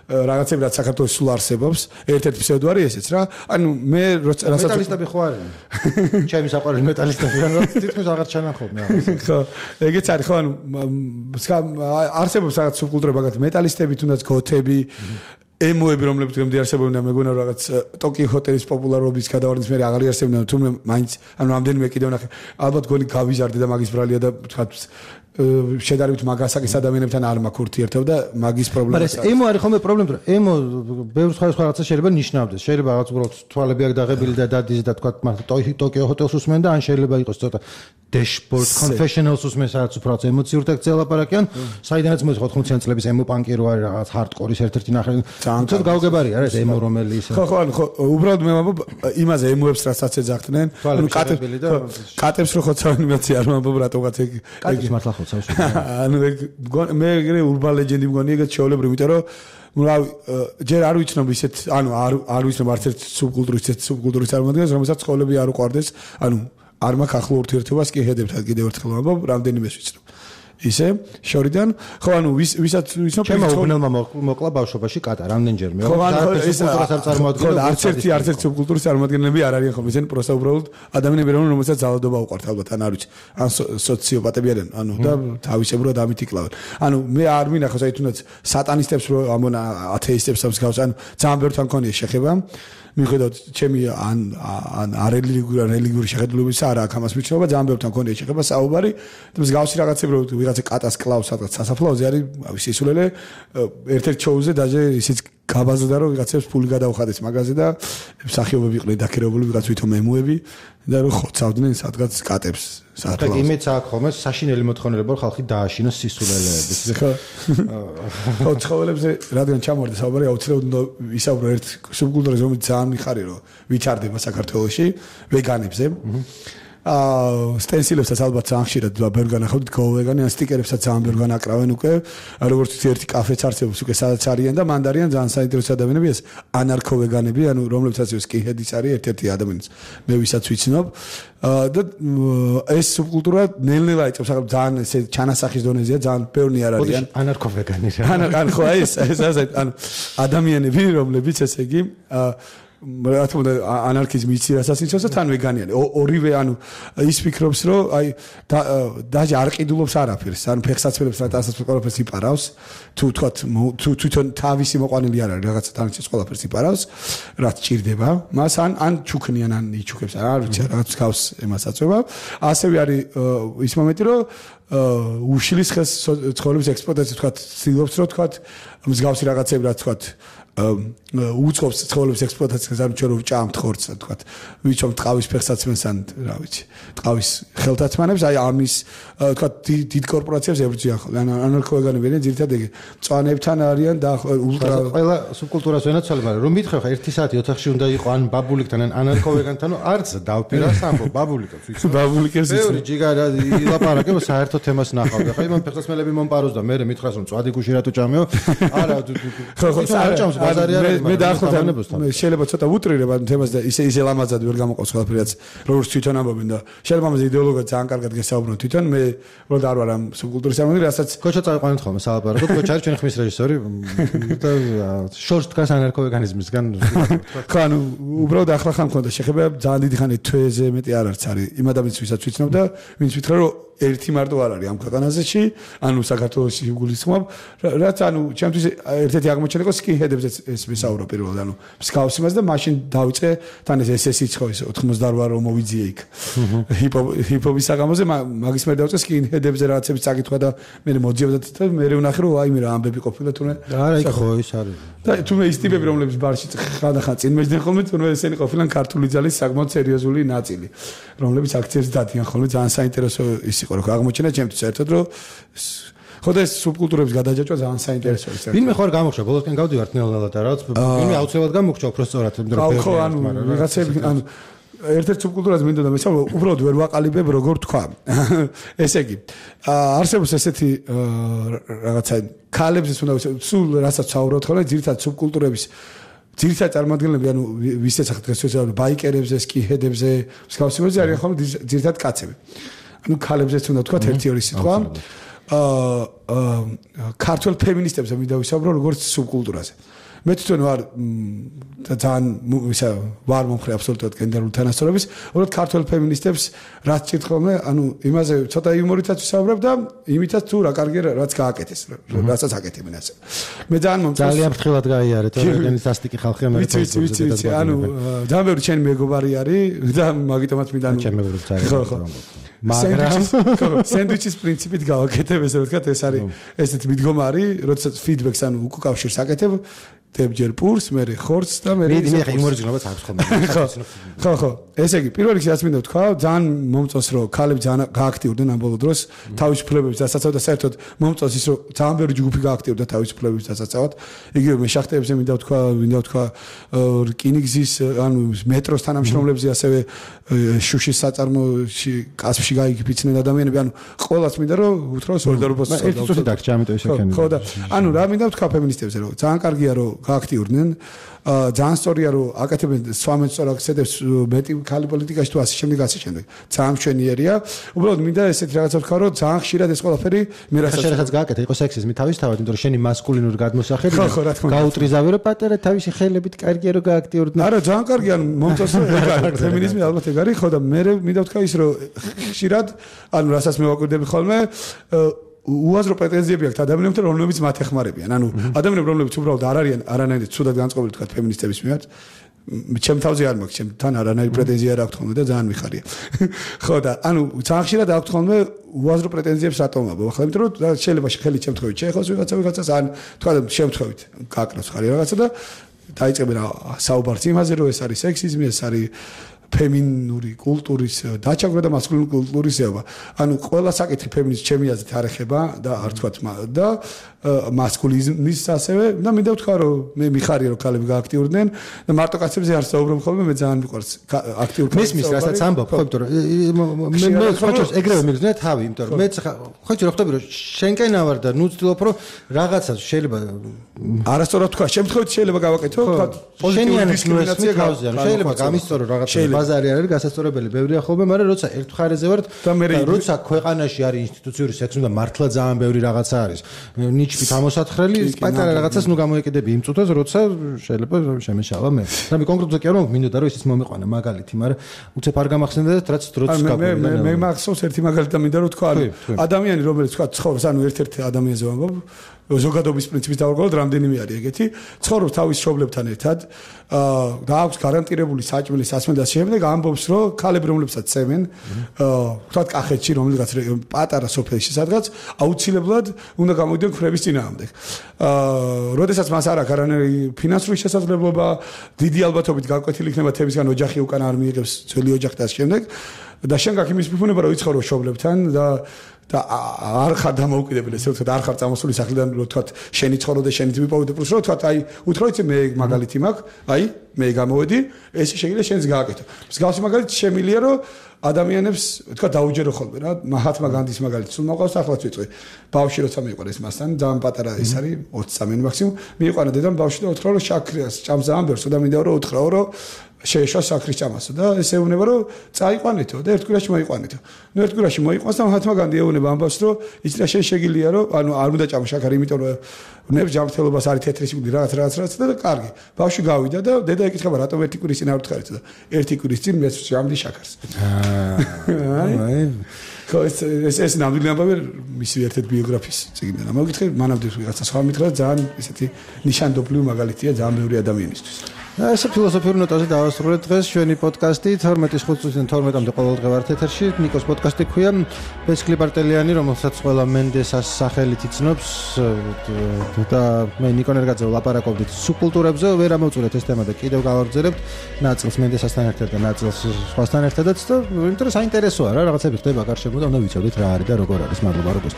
რაღაცები რაც საქართველოს სულ არსებობს ერთ-ერთი ფსევდო არის ესეც რა ანუ მე როცა მეტალისტები ხო არიან ჩემი საყვარელი მეტალისტები რა თითქოს აღარ ჩანახობ მე ხო ეგეც არის ხო ანუ არსებობს რაღაც სუბკულტურა მაგათ მეტალისტები თუნდაც გოთები ემოები რომლებიც გემდი არსებობენ მეგონა რაღაც ტოკიო ჰოტელის პოპულარობის გადავარდნის მე აღარ არსებობენ თუმცა მაინც ანუ ამდენიმე კიდევ ნახე ალბათ გონი გავიზარდე და მაგის ბრალია და თქვა შედარებით მაგასაკის ადამიანებთან არ მაქვს ურთიერთობა და მაგის პრობლემა. მაგრამ ეს ემო არის ხოლმე პრობლემა, რომ ემო ბევრ სხვა რაღაცა შეიძლება ნიშნავდეს. შეიძლება რაღაც უბრალოდ თვალები აქ დაღებილი და დადის და თქვა მართლა ტოკიო ჰოტელს უსმენ და ან შეიძლება იყოს ცოტა dashboard confessionals უსმენ სადაც უფრო ემოციურ ტექსტზე ლაპარაკიან. საიდანაც მოდის ოთხმოციანი წლების ემო პანკი რო არის რაღაც hardcore-ის ერთ-ერთი ნახე. ცოტა გავგებარი არა ეს ემო რომელი ისე. ხო ხო ანუ ხო უბრალოდ მე ვამბობ იმაზე ემოებს რასაც ეძახდნენ. ანუ კატებს კატებს რო ხოცავენ იმაცი არ ვამბობ რატოღაც ეგ კატებს მართლა ხო ანუ მე ეგრე urban legend-ი მგონი ეგეც შეულებრივი, იმიტომ რომ რავი ჯერ არ ვიცნობ ისეთ ანუ არ არ ვიცნობ არც ერთ სუბკულტურის ისეთ სუბკულტურის წარმოადგენს, რომელსაც ცხოვრები არ უყვარდეს, ანუ არ მაქვს ახლო ურთიერთობას კიჰედებთან კიდევ ერთხელ ვამბობ, რამდენიმეს ვიცნობ. ისე შორიდან ხო ანუ ვისაც ვიცნობ ჩემო უბნელმა მოკლა ბავშვობაში კატა რამდენჯერმე ხო ანუ ეს არ წარმოადგენს არც ერთი არც ერთი სუბკულტურის წარმოადგენლები არ არიან ხოლმე ისინი პროსტა უბრალოდ ადამიანები რომ რომელსაც ძალადობა უყვართ ალბათ ან არ ვიცი ან სოციოპატები არიან ანუ და თავისებურად ამით იკლავენ ანუ მე არ მინახავს აი თუნდაც სატანისტებს რო ამონა ათეისტებს ამსგავს ანუ ძალიან ბევრთან მქონია შეხება მიხედავთ ჩემი ან ან არელიგიური რელიგიური შეხედულებისა არა აქ ამას ვიცნობა ძალიან ბევრთან მქონია შეხება საუბარი და მსგავსი რაღაცები რო ვიღაცა კატას კლავს სადღაც სასაფლაოზე არის სისულელე ერთ-ერთ შოუზე დაჟე ისიც გაბაზდა რომ ვიღაცებს ფული გადაუხადეს მაგაზე და მსახიობები იყვნენ დაქერებული ვიღაც ვითომ ემოები და რომ ხოცავდნენ სადღაც კატებს საფლაოზე. და იმეც აქ ხოლმე საშინელი მოთხოვნილება რომ ხალხი დააშინოს სისულელეების. ხო ცხოველებზე რადგან ჩამოვარდა საუბარი აუცილებლად უნდა ვისაუბრო ერთ სუბკულტურაზე რომელიც ძალიან მიხარი რომ ვითარდება საქართველოში ვეგანებზე. აა სტენსილებსაც ალბათ ძალიან ხშირად ბევრ განახავთ გოვეგანი ან სტიკერებსაც ძალიან ბევრ განაკრავენ უკვე როგორც ვიცი ერთი კაფეც არსებობს უკვე სადაც არიან და მანდ არიან ძალიან საინტერესო ადამიანები ეს ანარქოვეგანები ანუ რომლებსაც სკინჰედის არის ერთ-ერთი ადამიანიც მე ვისაც ვიცნობ და ეს სუბკულტურა ნელ-ნელა იწევს ახლა ძალიან ესე ჩანასახის დონეზეა ძალიან ბევრი არ არიან ანარქოვეგანი რა ანუ ხო ეს ეს ანუ ადამიანები რომლებიც ესე იგი რა თქმა უნდა ანარქიზმი იცი რასაც იცავს და თან ვეგანიანი ორივე ანუ ის ფიქრობს რომ აი დაჟე არ ყიდულობს არაფერს ანუ ფეხსაცმელებს რა ტანსაც ყველაფერს იპარავს თუ თქვა თუ თვითონ თავისი მოყვანილი არ არის რაღაცა თანაც ყველაფერს იპარავს რაც ჭირდება მას ან ან ჩუქნიან ან იჩუქებს არ ვიცი რაღაც გავს ემას აწובה ასევე არის ის მომენტი რომ უშლის ხეს ცხოვრების ექსპლუატაცია თქვა ცდილობს რომ თქვა მსგავსი რაღაცები რა თქვა უწყობს ცხოვრების ექსპლუატაციას არ ჩვენ ვჭამთ ხორცს თქვა ვიცომ ტყავის ფეხსაცმელს ან რა ვიცი ტყავის ხელთათმანებს აი ამის თქვა დიდ კორპორაციებს ებრძვიან ხოლმე ან ანარქოვეგანები არიან ძირითადად ეგ მწვანეებთან არიან და ულტრა ყველა სუბკულტურას ვენაცვალე მაგრამ რომ მითხრა ხა ერთი საათი ოთახში უნდა იყო ან ბაბულიკთან ან ანარქოვეგანთან არც დავპირა სამბო ბაბულიკებს ვიცი ბაბულიკებს ვიცი ბევრი ჯიგარა ილაპარაკე საერთო თემას ნახავდა ხა იმან ფეხსაცმელები მომპაროს და მე მითხრას რომ წვადი გუში რატო ჭამეო არა ხო ხო არ ჭამს ბაზარი არის მე დაახლოებით შეიძლება ცოტა ვუტრირებ ამ თემას და ისე ისე ლამაზად ვერ გამოყავს ყველაფერაც როგორც თვითონ ამბობენ და შეიძლება ამაზე იდეოლოგიად ძალიან კარგად გესაუბრონ თვითონ მე უბრალოდ არ ვარ ამ სუბკულტურის ამბები რასაც კოჩა წავიყვანეთ ხოლმე სალაპარაკოდ კოჩა არის ჩვენი ხმის რეჟისორი და შორს დგას ანარქოვეგანიზმისგან ხო ანუ უბრალოდ ახლა ხან მქონდა შეხება ძალიან დიდი ხანი თვეზე მეტი არ არც არის იმ ადამიანს ვისაც ვიცნობ და ვინც ვითხრა რომ ერთი მარტო არ არის ამ ქვეყანაზეში, ანუ საქართველოში გულისხმობ, რაც ანუ ჩემთვის ერთ-ერთი აღმოჩენა იყო სკინჰედებზეც ეს ვისაურო პირველად, ანუ მსგავსი მას და მაშინ დავიწყე თან ეს ესესი ხო ეს ოთხმოცდაოთხ რომ მოვიძიე იქ. ჰიპ-ჰოპის საგამოზე მაგის მე დავიწყე სკინჰედებზე რაღაცების წაკითხვა და მე მოდიოდა და მე ვნახე რომ აი მე რა ამბები ყოფილა თუნე. არა იქ ხო ის არის. და თუნე ის ტიპები რომლებიც ბარში ხანდახან წინ მეჯდნენ ხოლმე თუნე ესენი ყოფილან ქართული ძალის საკმაოდ სერიოზული ნაწილი, რომლებიც აქციებს დადიან ხოლმე ძალიან საინტერესო ის იყო რომ აღმოჩენა ჩემთვის ერთად რომ ხოდა ეს სუბკულტურების გადაჯაჭვა ძალიან საინტერესოა. ვინმე ხო არ გამოხშა ბოლოსკენ გავდივართ ნელ-ნელა და რაღაც ვინმე აუცილებლად გამოხშა უფრო სწორად იმიტომ რომ ანუ რაღაცები ანუ ერთ-ერთ სუბკულტურაზე მინდოდა მესაუბრე უბრალოდ ვერ ვაყალიბებ როგორ თქვა. ესე იგი არსებობს ესეთი რაღაცა ქალებზეც უნდა სულ რასაც საუბრობთ ხოლმე ძირითადად სუბკულტურების ძირითადად წარმოადგენლები ანუ ვისაც ახლა დღესდღეობით ბაიკერებზე, სკინჰედებზე, მსგავსებებზე არიან ხოლმე ძირითადად კაცები. ანუ ქალებზეც უნდა თქვა ერთი ორი სიტყვა. აა ქართულ ფემინისტებზე მინდა ვისაუბრო როგორც სუბკულტურაზე. მე თვითონ ვარ ძალიან ისა ვარ მომხრე აბსოლუტურად გენდერული თანასწორობის, უბრალოდ ქართულ ფემინისტებს რაც ჭირთხოვნე, ანუ იმაზე ცოტა იუმორითაც ვისაუბრებ და იმითაც თუ რა კარგია რაც გააკეთეს, რასაც აკეთებენ ასე. მე ძალიან მომწონს ძალიან ფრთხილად გაიარეთ, ორგანის ასტიკი ხალხი ამერე ვიცი, ვიცი, ანუ ძალიან ბევრი ჩემი მეგობარი არის და მაგიტომაც მინდა ანუ ჩემი მეგობრებიც არის. ხო, ხო. მაგრამ სენდვიჩის პრინციპით გავაკეთებ ესე ვთქვათ, ეს არის ესეთი მიდგომარი, როდესაც ფიდბექს ანუ უკავშირს აკეთებ დებჯერ პურს, მე ხორცს და მე მე მე იმორის გნობას აქვს ხოლმე. ხო, ხო. ესე იგი, პირველ რიგში რაც მინდა ვთქვა, ძალიან მომწონს რომ ქალები ძალიან გააქტიურდნენ ამ ბოლო დროს თავისუფლებების დასაცავად და საერთოდ მომწონს ის რომ ძალიან ბევრი ჯგუფი გააქტიურდა თავისუფლებების დასაცავად. იგივე მე შახტეებზე მინდა ვთქვა, მინდა ვთქვა რკინიგზის, ანუ მეტროს თანამშრომლებზე, ასევე შუშის საწარმოში, კასპში გაიგიფიცნენ ადამიანები, ანუ ყოველას მინდა რომ უთრო სოლიდარობას ეს წუთი დაგჭა, ამიტომ ისე ხო და ანუ რა მინდა ვთქვა ფემინისტებზე რომ ძალიან კარგია რომ გააქტიურდნენ ძალიან სწორია რომ აკეთებენ სვამენწორ აქცენტებს მეტი ქალი პოლიტიკაში თუ ასე შემდეგ ასე შემდეგ ძალიან მშვენიერია უბრალოდ მინდა ესეთ რაღაცა ვთქვა რომ ძალიან ხშირად ეს ყველაფერი მე რასაც შეიძლება გააკეთე იყო სექსიზმი თავისთავად იმიტომ რომ შენი მასკულინური გადმოსახელი გაუტრიზავე რომ პატარა თავისი ხელებით კარგია რომ გააქტიურდნენ არა ძალიან კარგია ანუ მომწონს ფემინიზმი ალბათ ეგ არის ხო და მე მინდა ვთქვა ის რომ ხშირად ანუ რასაც მე ვაკვირდები ხოლმე უაზრო პრეტენზიები აქვს ადამიანებთან რომლებიც მათ ეხმარებიან ანუ ადამიანები რომლებიც უბრალოდ არ არიან არანაირად ცუდად განწყობილი თქვა ფემინისტების მიმართ ჩემ თავზე არ მაქვს ჩემთან არანაირი პრეტენზია არ აქვს ხოლმე და ძალიან მიხარია ხო და ანუ ძალიან ხშირად აქვს ხოლმე უაზრო პრეტენზიებს რატომ აბა ახლა იმიტომ რომ შეიძლება ხელი შემთხვევით შეეხოს ვიღაცა ვიღაცას ან თქვა შემთხვევით გაკრავს ხარი რაღაცა და დაიწყებენ საუბარს იმაზე რომ ეს არის სექსიზმი ეს არის ფემინური კულტურის დაჩაგვრა და მასკულინური კულტურის ზეობა. ანუ ყველა საკითხი ფემინიზმის ჩემი აზრით არ ეხება და არ თქვათ და მასკულინიზმის ასევე და მინდა ვთქვა რომ მე მიხარია რომ ქალები გააქტიურდნენ და მარტო კაცებზე არ საუბრობ ხოლმე მე ძალიან მიყვარს აქტიურ ქალებს. მესმის რასაც ამბობ ხო იმიტომ რომ მე მე ხოჭოს ეგრევე მიგზნე თავი იმიტომ რომ მეც ხოჭო რა ხვდები რომ შენკენა ვარ და ნუ ვცდილობ რომ რაღაცა შეიძლება არასწორად თქვა შემთხვევით შეიძლება გავაკეთო თქვა პოზიტიური დისკრიმინაცია გავზიან შეიძლება გამისწორო რაღაცა ბაზარი არ არის გასასწორებელი ბევრია ხოლმე მაგრამ როცა ერთ მხარეზე ვარ და როცა ქვეყანაში არის ინსტიტუციური სექსი და მართლა ძალიან ბევრი რაღაცა არის ნიჩით ამოსათხრელი პატარა რაღაცას ნუ გამოეკიდები იმ წუთას როცა შეიძლება შემეშალა მე და მე კონკრეტულად კი არ მომმინდა რომ ისიც მომიყვანა მაგალითი მაგრამ უცებ არ გამახსენდა და რაც დროც გაგვიდა მე მე მახსოვს ერთი მაგალითი და მინდა რომ თქვა ადამიანი რომელიც თქვა ცხოვრობს ანუ ერთ-ერთი ადამიანზე ვამბობ ზოგადობის პრინციპის დავარგვალოთ რამდენიმე არის ეგეთი ცხოვრობს თავის მშობლებთან ერთად და აქვს გარანტირებული საჭმელი სასმელი და შემდეგ ამბობს რომ ქალები რომლებსაც წემენ თქვა კახეთში რომელიღაც პატარა სოფელში სადღაც აუცილებლად უნდა გამოდიონ ქრების წინააღმდეგ როდესაც მას არ აქვს არანაირი ფინანსური შესაძლებლობა დიდი ალბათობით გაკვეთილი იქნება თებისგან ოჯახი უკან არ მიიღებს ძველი ოჯახი და შემდეგ და შენ გაქვს იმის მიფუნება რომ იცხოვრო მშობლებთან და და არ ხარ დამოუკიდებელი ესე ვთქვათ არ ხარ წამოსული სახლიდან რომ თქვათ შენი ცხოვრო და შენი თვიპოვი და პლუს რომ თქვათ აი უთხროიცი მე მაგალითი მაქვს აი მე გამოვედი ეს შეიძლება შენს გააკეთო მსგავსი მაგალითი შემილია რომ ადამიანებს თქვათ დაუჯერო ხოლმე რა მაჰათმა განდის მაგალითი სულ მოყავს ახლაც ვიწვი ბავშვი როცა მიყარა ეს მასთან ძალიან პატარა ის არის ოცი წამი მაქსიმუმ მიყარა დედამ ბავშვი და უთხრა რომ შაქრიას ჭამს ძალიან ბევრს და მინდა რომ უთხრაო რომ შეეშვა საქრის ჭამასო და ეს ეუბნება რომ წაიყვანეთო და ერთ კვირაში მოიყვანეთო. ნუ ერთ კვირაში მოიყვანს და მაჰათმა განდი ეუბნება ამბავს რომ იცი რა შენ შეგილია რომ ანუ არ უნდა ჭამო შაქარი იმიტომ რომ ნებს ჯანმრთელობას არის თეთრისმული რაღაც რაღაც რაღაც და კარგი. ბავშვი გავიდა და დედა ეკითხება რატომ ერთი კვირის წინ არ უთხარით და ერთი კვირის წინ მეც ჭამდი შაქარს. აი ეს ეს ეს ნამდვილი ამბავი მისი ერთ-ერთ ბიოგრაფიის წიგნიდან. მოგითხე, მანამდე ვიღაცა სხვა მითხრა, ძალიან ესეთი ნიშანდობლივი მაგალითია ძალიან ბევრი ადამიანისთვის. ეს ფილოსოფიური ნოტაზე დავასრულეთ დღეს ჩვენი პოდკასტი თორმეტის ხუთი წუთიდან თორმეტამდე ყოველდღე ვართ ეთერში. ნიკოს პოდკასტი ქვია ბესკლი პარტელიანი, რომელსაც ყველა მენდესას სახელით იცნობს და მე ნიკო ნერგაძე ვლაპარაკობდით სუბკულტურებზე. ვერ ამოვწურეთ ეს თემა და კიდევ გავაგრძელებთ ნაწილს მენდესასთან ერთად და ნაწილს სხვასთან ერთადაც და იმიტომ რომ საინტერესოა რა რაღაცები ხდება გარშემო და უნდა ვიცოდეთ რა არის და როგორ არის. მადლობა როგორ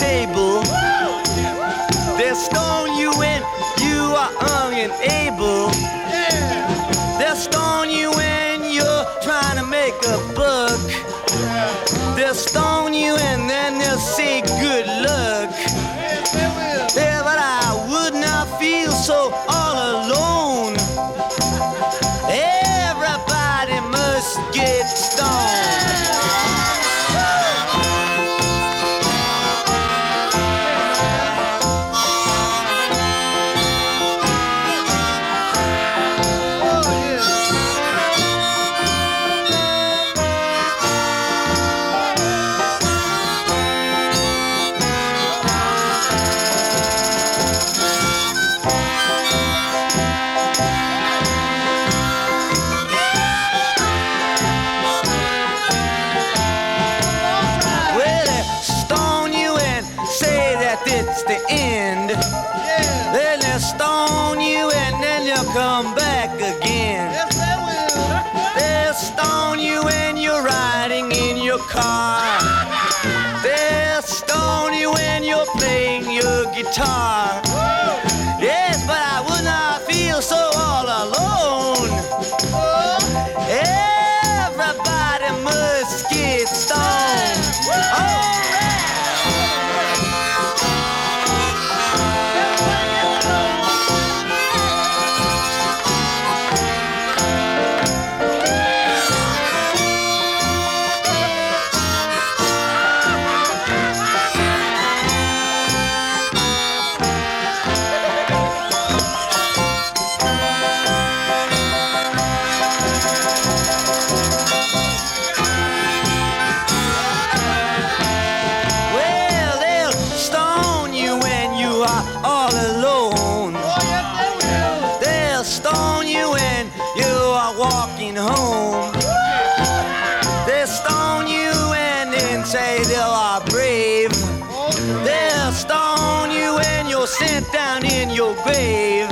table. They'll stone you when you are unable. They'll stone you when you're trying to make a buck. They'll stone you and then they'll say good luck. Yeah, but I would not feel so all alone. Everybody must get stoned. come back again. Yes, they will. They'll stone you when you're riding in your car. They'll stone you when you're playing your guitar. Yes, but I would not feel so all alone. Everybody must get stoned. Oh, home. They'll stone you and then say they are brave. They'll stone you when you're sent down in your grave.